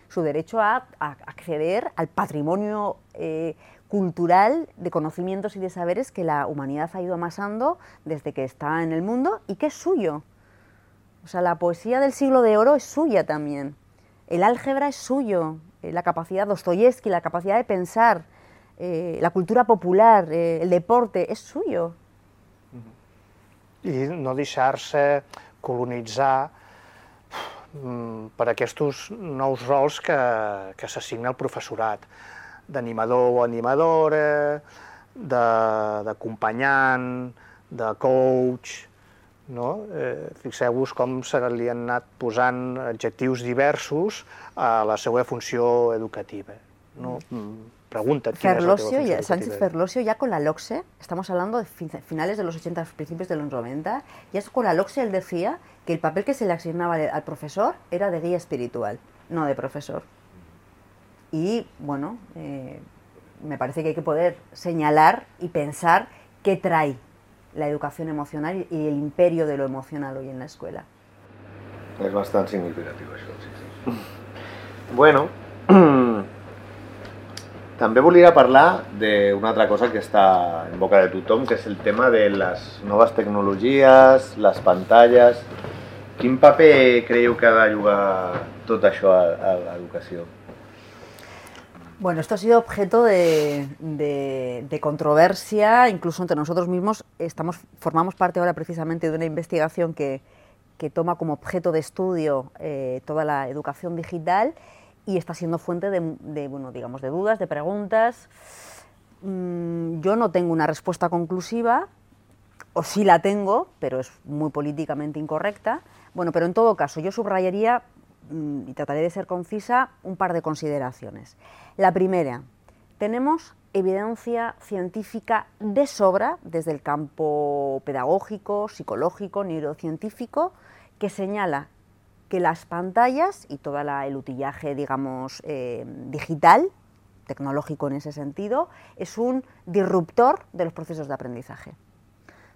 su derecho a, a acceder al patrimonio eh, cultural de conocimientos y de saberes que la humanidad ha ido amasando desde que está en el mundo y que es suyo. O sea, la poesía del siglo de oro es suya también, el álgebra es suyo, eh, la capacidad, Dostoyevsky, la capacidad de pensar, eh, la cultura popular, eh, el deporte, és suyo. I no deixar-se colonitzar per aquests nous rols que, que s'assigna al professorat, d'animador o animadora, d'acompanyant, de coach, no? Eh, fixeu-vos com se li han anat posant adjectius diversos a la seva funció educativa. No? Pregunta't quina és la teva funció educativa. Sánchez Ferlosio, ya con la LOCSE, estamos hablando de finales de los ochenta, principios de los noventa, ya con la LOCSE él decía que el papel que se le asignaba al profesor era de guía espiritual, no de profesor. Y, bueno, eh, me parece que hay que poder señalar y pensar qué trae la educación emocional y el imperio de lo emocional hoy en la escuela. És bastant significatiu, això, sí, sí. Bueno, també volia parlar d'una altra cosa que està en boca de tothom, que és el tema de les noves tecnologies, les pantalles. Quin paper creieu que ha de jugar tot això a l'educació? Bueno, esto ha sido objeto de, de, de controversia, incluso entre nosotros mismos. Estamos, formamos parte ahora precisamente de una investigación que, que toma como objeto de estudio eh, toda la educación digital y está siendo fuente de, de, bueno, digamos, de dudas, de preguntas. Mm, yo no tengo una respuesta conclusiva, o sí la tengo, pero es muy políticamente incorrecta. Bueno, pero en todo caso, yo subrayaría, y trataré de ser concisa, un par de consideraciones. La primera, tenemos evidencia científica de sobra, desde el campo pedagógico, psicológico, neurocientífico, que señala que las pantallas y todo el utillaje, digamos, eh, digital, tecnológico en ese sentido, es un disruptor de los procesos de aprendizaje.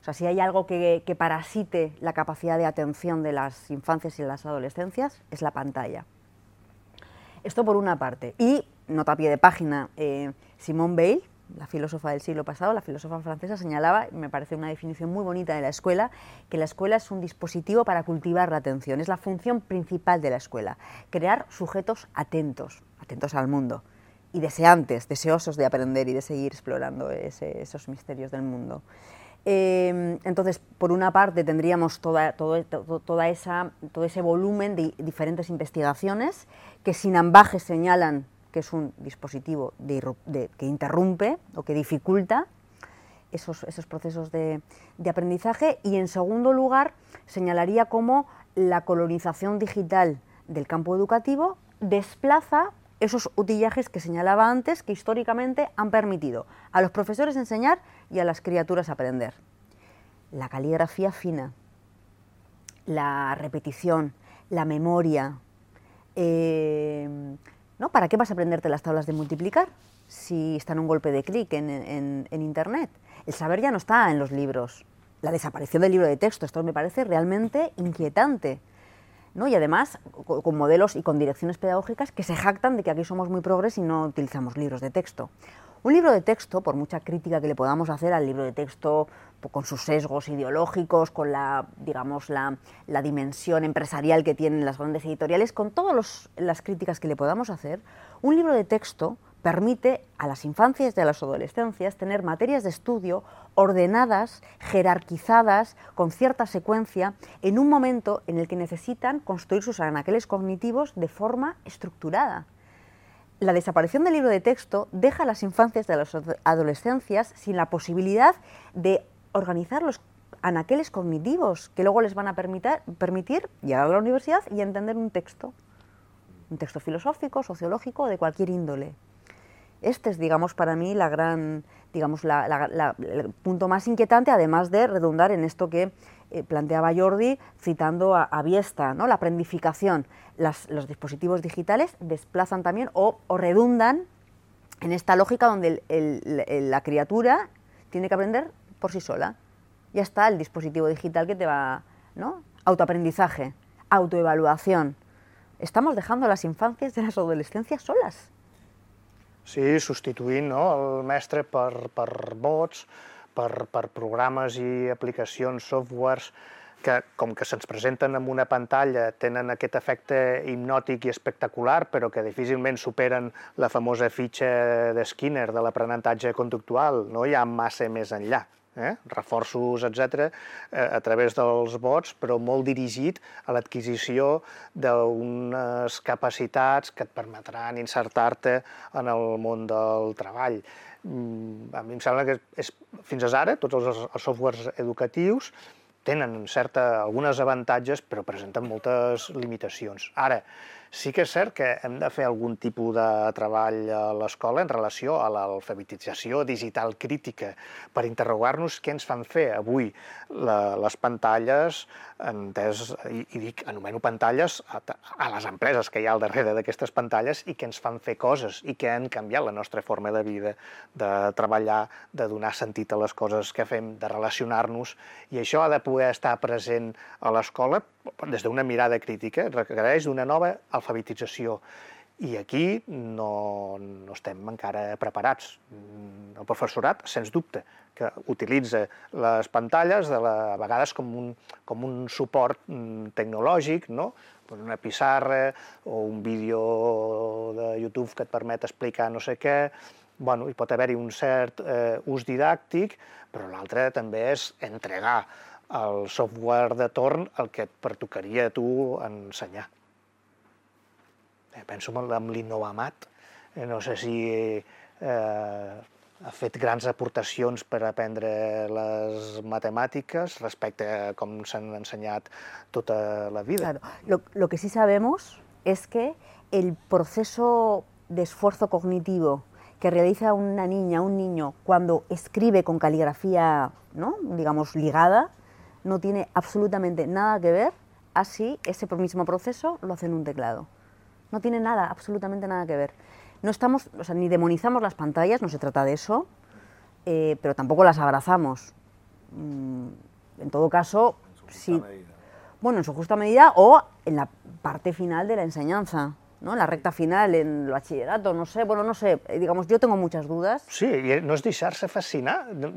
O sea, si hay algo que, que parasite la capacidad de atención de las infancias y de las adolescencias, es la pantalla. Esto por una parte. Y, nota a pie de página, eh, Simone Weil, la filósofa del siglo pasado, la filósofa francesa, señalaba, y me parece una definición muy bonita de la escuela, que la escuela es un dispositivo para cultivar la atención, es la función principal de la escuela, crear sujetos atentos, atentos al mundo, y deseantes, deseosos de aprender y de seguir explorando ese, esos misterios del mundo. Eh, entonces, por una parte tendríamos toda, todo, todo, toda esa, todo ese volumen de diferentes investigaciones que sin ambajes señalan que es un dispositivo de, de, que interrumpe o que dificulta esos, esos procesos de, de aprendizaje, y en segundo lugar señalaría cómo la colonización digital del campo educativo desplaza esos utillajes que señalaba antes, que históricamente han permitido a los profesores enseñar y a las criaturas aprender. La caligrafía fina, la repetición, la memoria. Eh, ¿no? ¿Para qué vas a aprenderte las tablas de multiplicar si está en un golpe de clic en, en, en Internet? El saber ya no está en los libros. La desaparición del libro de texto, esto me parece realmente inquietante, ¿no? Y además con modelos y con direcciones pedagógicas que se jactan de que aquí somos muy progres y no utilizamos libros de texto. Un libro de texto, por mucha crítica que le podamos hacer al libro de texto, con sus sesgos ideológicos, con la, digamos, la, la dimensión empresarial que tienen las grandes editoriales, con todas las críticas que le podamos hacer, un libro de texto permite a las infancias y a las adolescencias tener materias de estudio ordenadas, jerarquizadas, con cierta secuencia, en un momento en el que necesitan construir sus anaqueles cognitivos de forma estructurada. La desaparición del libro de texto deja a las infancias y a las adolescencias sin la posibilidad de organizar los anaqueles cognitivos que luego les van a permitir, permitir llegar a la universidad y entender un texto, un texto filosófico, sociológico o de cualquier índole. Este es, digamos, para mí la gran, digamos, la, la, la, el punto más inquietante, además de redundar en esto que eh, planteaba Jordi, citando a, a Biesta, ¿no? La aprendificación. Las, los dispositivos digitales desplazan también o, o redundan en esta lógica donde el, el, el, la criatura tiene que aprender por sí sola. Ya está el dispositivo digital que te va, ¿no? Autoaprendizaje, autoevaluación. Estamos dejando a las infancias y a las adolescencias solas. Sí, substituint, no, el mestre per, per bots, per, per programes i aplicacions, softwares, que com que se'ns presenten en una pantalla tenen aquest efecte hipnòtic i espectacular, però que difícilment superen la famosa fitxa de Skinner de l'aprenentatge conductual, no hi ha massa més enllà. Eh? Reforços, etcètera, eh, a través dels bots, però molt dirigit a l'adquisició d'unes capacitats que et permetran insertar-te en el món del treball. Mm, a mi em sembla que és, fins ara tots els, els softwares educatius tenen certa, algunes avantatges, però presenten moltes limitacions. Ara, sí que és cert que hem de fer algun tipus de treball a l'escola en relació a l'alfabetització digital crítica per interrogar-nos què ens fan fer avui la, les pantalles, entès, i, i dic, anomeno pantalles a, a les empreses que hi ha al darrere d'aquestes pantalles i que ens fan fer coses i que han canviat la nostra forma de vida, de treballar, de donar sentit a les coses que fem, de relacionar-nos, i això ha de poder estar present a l'escola des d'una mirada crítica, requereix una nova alfabetització. I aquí no, no estem encara preparats. El professorat, sens dubte, que utilitza les pantalles de la, a vegades com un, com un suport tecnològic, no? Una pissarra o un vídeo de YouTube que et permet explicar no sé què. Bueno, hi pot haver-hi un cert eh, ús didàctic, però l'altre també és entregar el software de torn el que et pertocaria a tu ensenyar. Penso en l'Innovamat, no sé si eh, ha fet grans aportacions per aprendre les matemàtiques respecte a com s'han ensenyat tota la vida. Claro. Lo, lo que sí sabemos es que el proceso de esfuerzo cognitivo que realiza una niña, un niño, cuando escribe con caligrafía, ¿no?, digamos, ligada, no tiene absolutamente nada que ver a si ese mismo proceso lo hace en un teclado. No tiene nada, absolutamente nada que ver. No estamos, o sea, ni demonizamos las pantallas, no se trata de eso, eh, pero tampoco las abrazamos. Mm, en todo caso, en su justa sí, medida. Bueno, en su justa medida o en la parte final de la enseñanza. ¿no? La recta final en el bachillerato, no sé, bueno, no sé, digamos, yo tengo muchas dudas. Sí, i no és deixar-se fascinar de,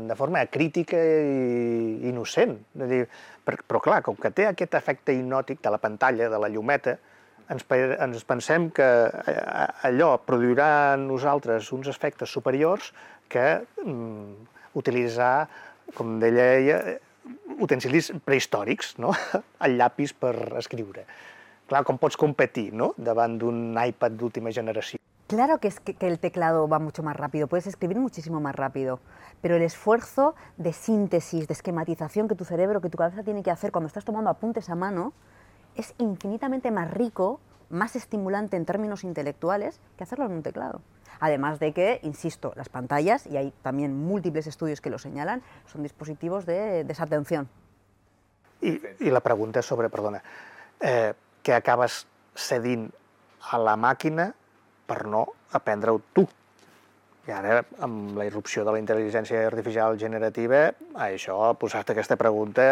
de forma crítica i innocent. És dir, però clar, com que té aquest efecte hipnòtic de la pantalla, de la llumeta, ens, ens pensem que allò produirà en nosaltres uns efectes superiors que mm, utilitzar, com deia ella, utensilis prehistòrics, no? El llapis per escriure. Claro, com pots competir, ¿no?, davant d'un iPad d'última generación. Claro que, es que, que el teclado va mucho más rápido, puedes escribir muchísimo más rápido, pero el esfuerzo de síntesis, de esquematización que tu cerebro, que tu cabeza tiene que hacer cuando estás tomando apuntes a mano, es infinitamente más rico, más estimulante en términos intelectuales que hacerlo en un teclado. Además de que, insisto, las pantallas, y hay también múltiples estudios que lo señalan, son dispositivos de desatención. I, i la pregunta és sobre, perdona, eh, que acabes cedint a la màquina per no aprendre-ho tu. I ara, amb la irrupció de la intel·ligència artificial generativa, això ha posat aquesta pregunta,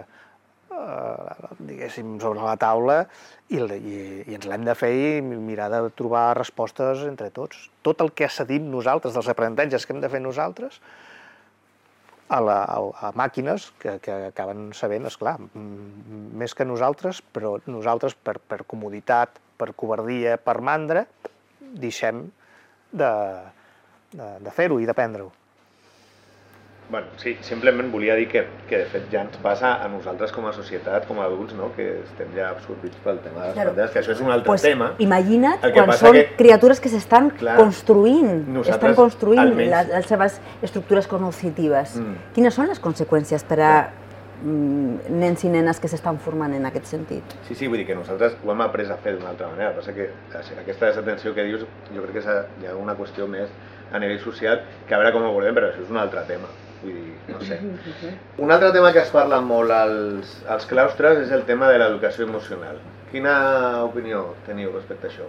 eh, diguéssim, sobre la taula i, i, i ens l'hem de fer i mirar de trobar respostes entre tots. Tot el que cedim nosaltres, dels aprenentatges que hem de fer nosaltres, A, la, a, a màquines que, que acaben sabent, esclar, més que nosaltres, però nosaltres per, per comoditat, per covardia, per mandra, deixem de, de, de fer-ho i d'aprendre-ho. Bueno, sí, simplement volia dir que, que de fet ja ens passa a nosaltres com a societat, com a adults, no?, que estem ja absorbits pel tema de les claro. pantalles, que això és un altre pues tema. Imagina't quan són que, criatures que s'estan construint, estan construint almenys les, les seves estructures cognoscitives. Mm. Quines són les conseqüències per a mm, nens i nenes que s'estan formant en aquest sentit? Sí, sí, vull dir que nosaltres ho hem après a fer d'una altra manera. Passa que aquesta desatenció que dius, jo crec que hi ha una qüestió més a nivell social, que a veure com ho volem, però això és un altre tema. Vull dir, no sé. Un altre tema que es parla molt als, als claustres és el tema de l'educació emocional. Quina opinió teniu respecte a això?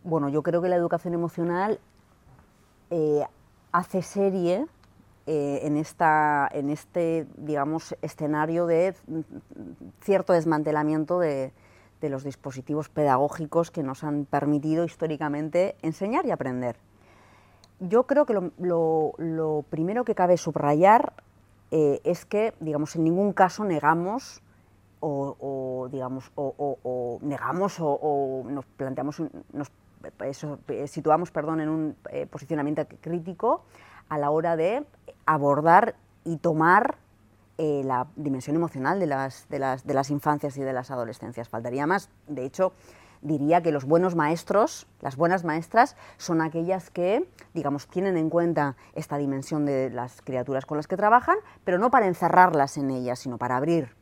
Bueno, yo creo que la educación emocional eh, hace serie eh, en, esta, en este, digamos, escenario de cierto desmantelamiento de, de los dispositivos pedagógicos que nos han permitido históricamente enseñar y aprender. Yo creo que lo, lo, lo primero que cabe subrayar eh, es que, digamos, en ningún caso negamos o, o digamos, o, o, o negamos o, o nos planteamos, nos eso, situamos, perdón, en un eh, posicionamiento crítico a la hora de abordar y tomar eh, la dimensión emocional de las, de, las, de las infancias y de las adolescencias. Faltaría más, de hecho, diría que los buenos maestros, las buenas maestras, son aquellas que, digamos, tienen en cuenta esta dimensión de las criaturas con las que trabajan, pero no para encerrarlas en ellas, sino para abrir.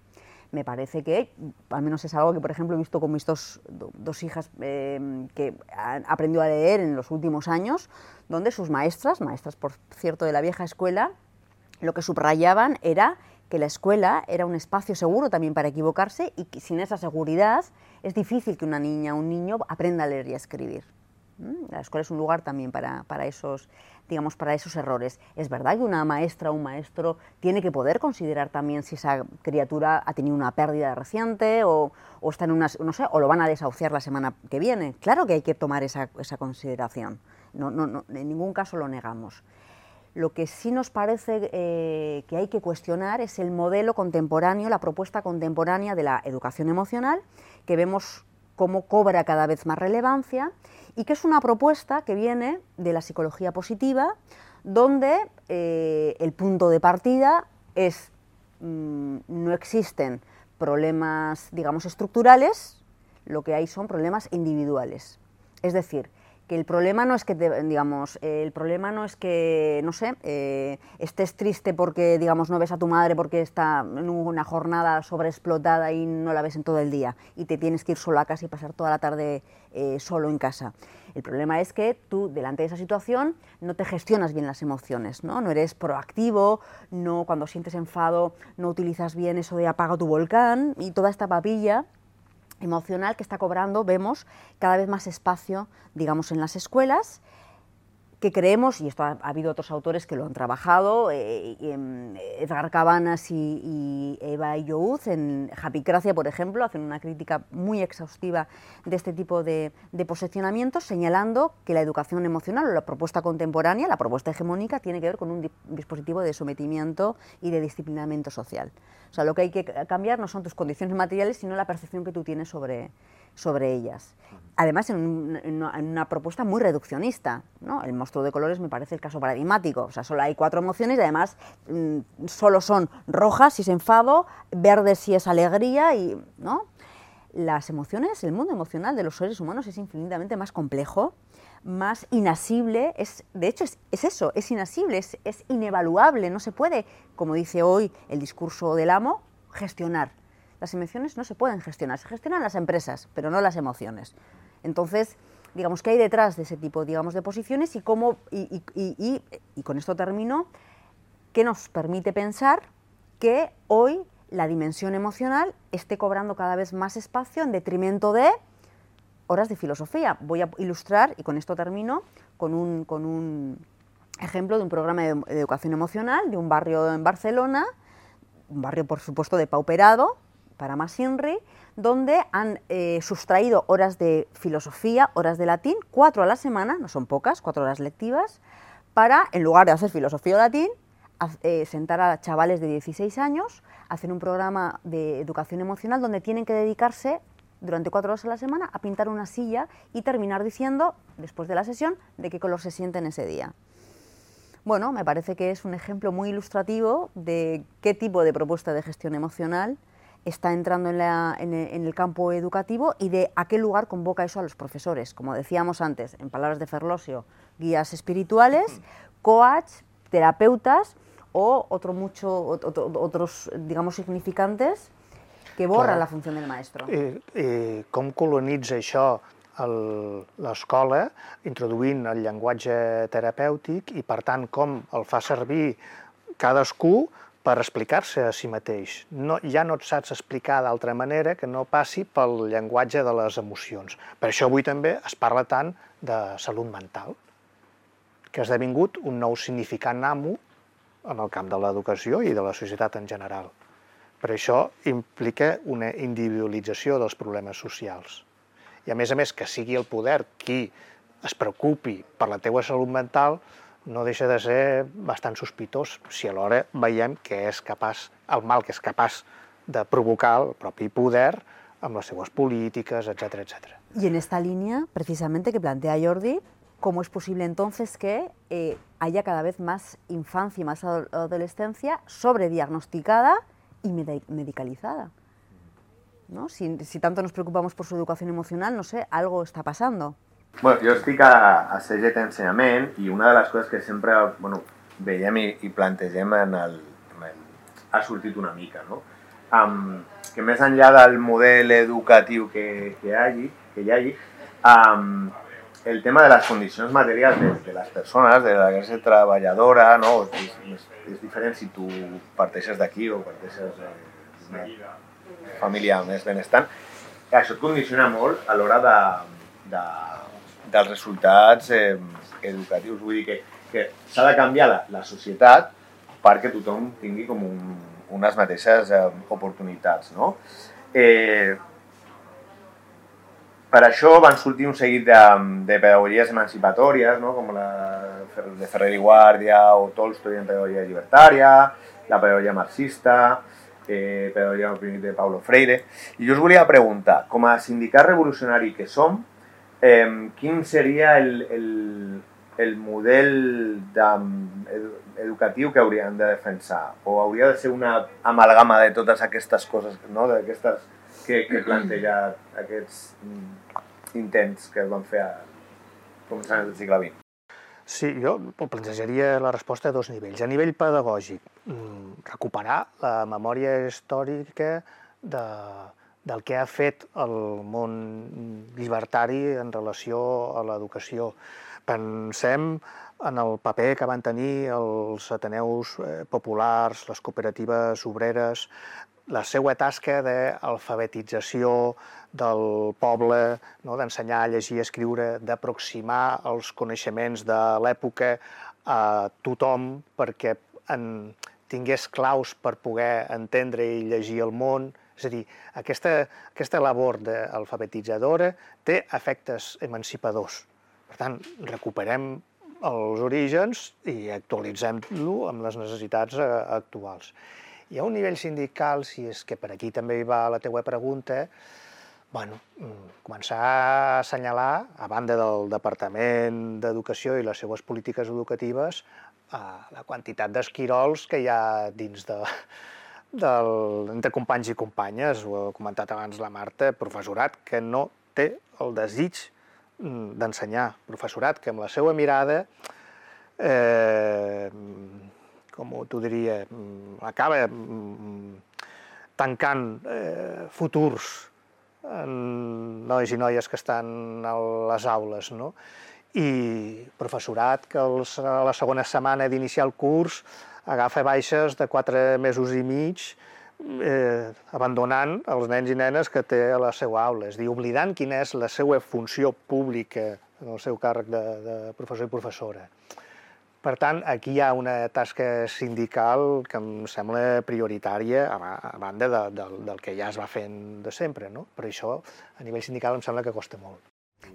Me parece que, al menos es algo que, por ejemplo, he visto con mis dos, dos hijas eh, que han aprendido a leer en los últimos años, donde sus maestras, maestras por cierto de la vieja escuela, lo que subrayaban era que la escuela era un espacio seguro también para equivocarse y que sin esa seguridad es difícil que una niña o un niño aprenda a leer y a escribir. La escuela es un lugar también para, para, esos, digamos, para esos errores. Es verdad que una maestra o un maestro tiene que poder considerar también si esa criatura ha tenido una pérdida reciente o, o está en una, no sé, o lo van a desahuciar la semana que viene. Claro que hay que tomar esa, esa consideración. No, no, no, en ningún caso lo negamos. Lo que sí nos parece eh, que hay que cuestionar es el modelo contemporáneo, la propuesta contemporánea de la educación emocional, que vemos cómo cobra cada vez más relevancia y que es una propuesta que viene de la psicología positiva, donde eh, el punto de partida es mmm, no existen problemas, digamos, estructurales, lo que hay son problemas individuales. Es decir, que el problema no es que, te, digamos, eh, el problema no es que, no sé, eh, estés triste porque, digamos, no ves a tu madre porque está en una jornada sobreexplotada y no la ves en todo el día y te tienes que ir solo a casa y pasar toda la tarde eh, solo en casa. El problema es que tú, delante de esa situación, no te gestionas bien las emociones, ¿no? No eres proactivo, no, cuando sientes enfado no utilizas bien eso de apaga tu volcán y toda esta papilla emocional que está cobrando, vemos, cada vez más espacio, digamos, en las escuelas, que creemos, y esto ha, ha habido otros autores que lo han trabajado, eh, eh, Edgar Cabanas y, y Eva Youz en Japicracia, por ejemplo, hacen una crítica muy exhaustiva de este tipo de, de posicionamientos, señalando que la educación emocional o la propuesta contemporánea, la propuesta hegemónica, tiene que ver con un di dispositivo de sometimiento y de disciplinamiento social. O sea, lo que hay que cambiar no son tus condiciones materiales, sino la percepción que tú tienes sobre sobre ellas. Además, en, un, en, una, en una propuesta muy reduccionista, ¿no? El monstruo de colores me parece el caso paradigmático. O sea, solo hay cuatro emociones y además mmm, solo son rojas si es enfado, verdes si es alegría, y, ¿no? Las emociones, el mundo emocional de los seres humanos es infinitamente más complejo, más inasible, es, de hecho es, es eso, es inasible, es, es inevaluable, no se puede, como dice hoy el discurso del amo, gestionar. Las emociones no se pueden gestionar, se gestionan las empresas, pero no las emociones. Entonces, digamos, ¿qué hay detrás de ese tipo, digamos, de posiciones y cómo, y, y, y, y, y con esto termino, qué nos permite pensar que hoy la dimensión emocional esté cobrando cada vez más espacio en detrimento de horas de filosofía? Voy a ilustrar, y con esto termino, con un, con un ejemplo de un programa de, de educación emocional de un barrio en Barcelona, un barrio, por supuesto, depauperado, para Masinri, donde han eh, sustraído horas de filosofía, horas de latín, cuatro a la semana, no son pocas, cuatro horas lectivas, para, en lugar de hacer filosofía o latín, a, eh, sentar a chavales de dieciséis años, hacer un programa de educación emocional donde tienen que dedicarse durante cuatro horas a la semana a pintar una silla y terminar diciendo, después de la sesión, de qué color se sienten ese día. Bueno, me parece que es un ejemplo muy ilustrativo de qué tipo de propuesta de gestión emocional está entrando en, la, en, el, en el campo educativo y de a qué lugar convoca eso a los profesores. Como decíamos antes, en palabras de Ferlosio, guías espirituales, coach, terapeutas o otro mucho, otro, otros, digamos, significantes que borran Clar. La funció del maestro. I, i com colonitza això l'escola, introduint el llenguatge terapèutic i, per tant, com el fa servir cadascú per explicar-se a si mateix. No, ja no et saps explicar d'altra manera que no passi pel llenguatge de les emocions. Per això avui també es parla tant de salut mental, que ha esdevingut un nou significant amo en el camp de l'educació i de la societat en general. Per això implica una individualització dels problemes socials. I a més a més que sigui el poder qui es preocupi per la teua salut mental no deixa de ser bastant sospitós si alhora veiem que és capaç, el mal que és capaç de provocar el propi poder amb les seues polítiques, etcétera, etcétera. Y en esta línea, precisamente, que plantea Jordi, ¿cómo es posible entonces que eh, haya cada vez más infancia y más adolescencia sobrediagnosticada y medicalizada? ¿No? Si, si tanto nos preocupamos por su educación emocional, no sé, algo está pasando. Bueno, jo estic a, a C G T Ensenyament i una de les coses que sempre bueno, veiem i, i plantegem en el, en el... ha sortit una mica, no? Um, que més enllà del model educatiu que, que, hi hagi, que hi hagi, um, el tema de les condicions materials de, de les persones, de la classe treballadora, no? És, és, és diferent si tu parteixes d'aquí o parteixes d'una família més benestant. Això et condiciona molt a l'hora de, de, dels resultats eh, educatius. Vull dir que, que s'ha de canviar la, la societat perquè tothom tingui com un, unes mateixes eh, oportunitats, no? Eh, per això van sortir un seguit de, de pedagogies emancipatòries, no? Com la de Ferrer i Guàrdia o Tolstoi en pedagogia llibertària, la pedagogia marxista, eh, pedagogia de Paulo Freire. I jo us volia preguntar, com a sindicat revolucionari que som, Eh, quin seria el, el, el model de, educatiu que hauríem de defensar? O hauria de ser una amalgama de totes aquestes coses, no? D'aquestes que, que planteja aquests intents que es van fer a començaments del segle vint? Sí, jo plantejaria la resposta a dos nivells. A nivell pedagògic, recuperar la memòria històrica de del que ha fet el món llibertari en relació a l'educació. Pensem en el paper que van tenir els ateneus populars, les cooperatives obreres, la seva tasca d'alfabetització del poble, no? D'ensenyar a llegir i escriure, d'aproximar els coneixements de l'època a tothom perquè en tingués claus per poder entendre i llegir el món. És a dir, aquesta, aquesta labor d'alfabetitzadora té efectes emancipadors. Per tant, recuperem els orígens i actualitzem-lo amb les necessitats actuals. I a un nivell sindical, si és que per aquí també hi va la teua pregunta, bueno, començar a assenyalar, a banda del Departament d'Educació i les seues polítiques educatives, la quantitat d'esquirols que hi ha dins de, del, entre companys i companyes, ho ha comentat abans la Marta, professorat que no té el desig d'ensenyar, professorat que amb la seva mirada, eh, com t'ho diria, acaba tancant eh, futurs en nois i noies que estan a les aules, no? I professorat que els, a la segona setmana d'iniciar el curs agafa baixes de quatre mesos i mig, eh, abandonant els nens i nenes que té a la seva aula, és a dir, oblidant quina és la seva funció pública en el seu càrrec de, de professor i professora. Per tant, aquí hi ha una tasca sindical que em sembla prioritària, a banda de, de, del que ja es va fent de sempre, no? Però això, a nivell sindical, em sembla que costa molt.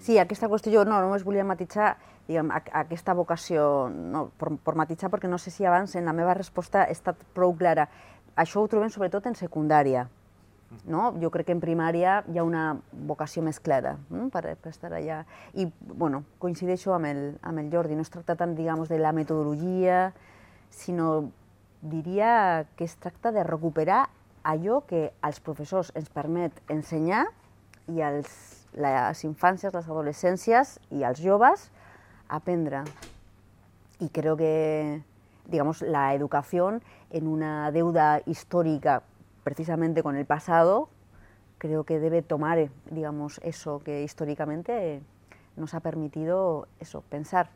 Sí, aquesta qüestió jo no, només volia matisar, diguem, aquesta vocació, no, per, per matisar, perquè no sé si abans en la meva resposta ha estat prou clara. Això ho trobem sobretot en secundària, no? Jo crec que en primària hi ha una vocació més clara, no? per, per estar allà. I, bueno, coincideixo amb el, amb el Jordi, no es tracta tant, digamos, de la metodologia, sinó diria que es tracta de recuperar allò que als professors ens permet ensenyar i als les infàncies, les adolescències y als joves aprender. Y creo que, digamos, la educación en una deuda histórica precisamente con el pasado, creo que debe tomar, digamos, eso que históricamente nos ha permitido eso, pensar.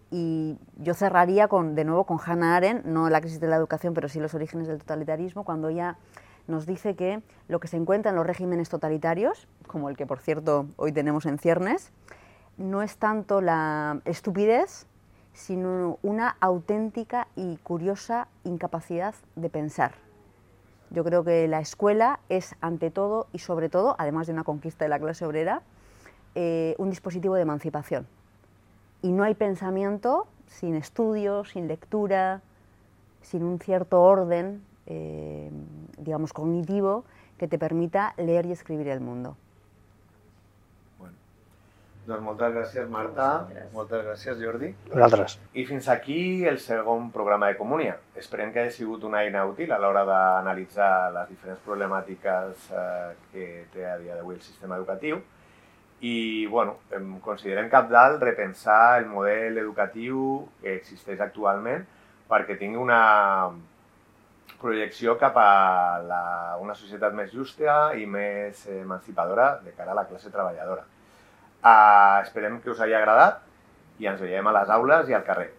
Y yo cerraría con, de nuevo con Hannah Arendt, no la crisis de la educación, pero sí los orígenes del totalitarismo, cuando ella nos dice que lo que se encuentra en los regímenes totalitarios, como el que por cierto hoy tenemos en ciernes, no es tanto la estupidez, sino una auténtica y curiosa incapacidad de pensar. Yo creo que la escuela es ante todo y sobre todo, además de una conquista de la clase obrera, eh, un dispositivo de emancipación. Y no hay pensamiento sin estudio, sin lectura, sin un cierto orden, Eh, digamos, cognitivo que te permita leer i escribir el mundo. Bueno, doncs moltes gràcies, Marta. Moltes gràcies, Jordi. Vosaltres. I fins aquí el segon programa de Comunia. Esperem que hagi sigut una eina útil a l'hora d'analitzar les diferents problemàtiques eh, que té a dia d'avui el sistema educatiu. I, bueno, considerem cabdal repensar el model educatiu que existeix actualment perquè tingui una projecció cap a la, una societat més justa i més emancipadora de cara a la classe treballadora. Uh, esperem que us hagi agradat i ens veiem a les aules i al carrer.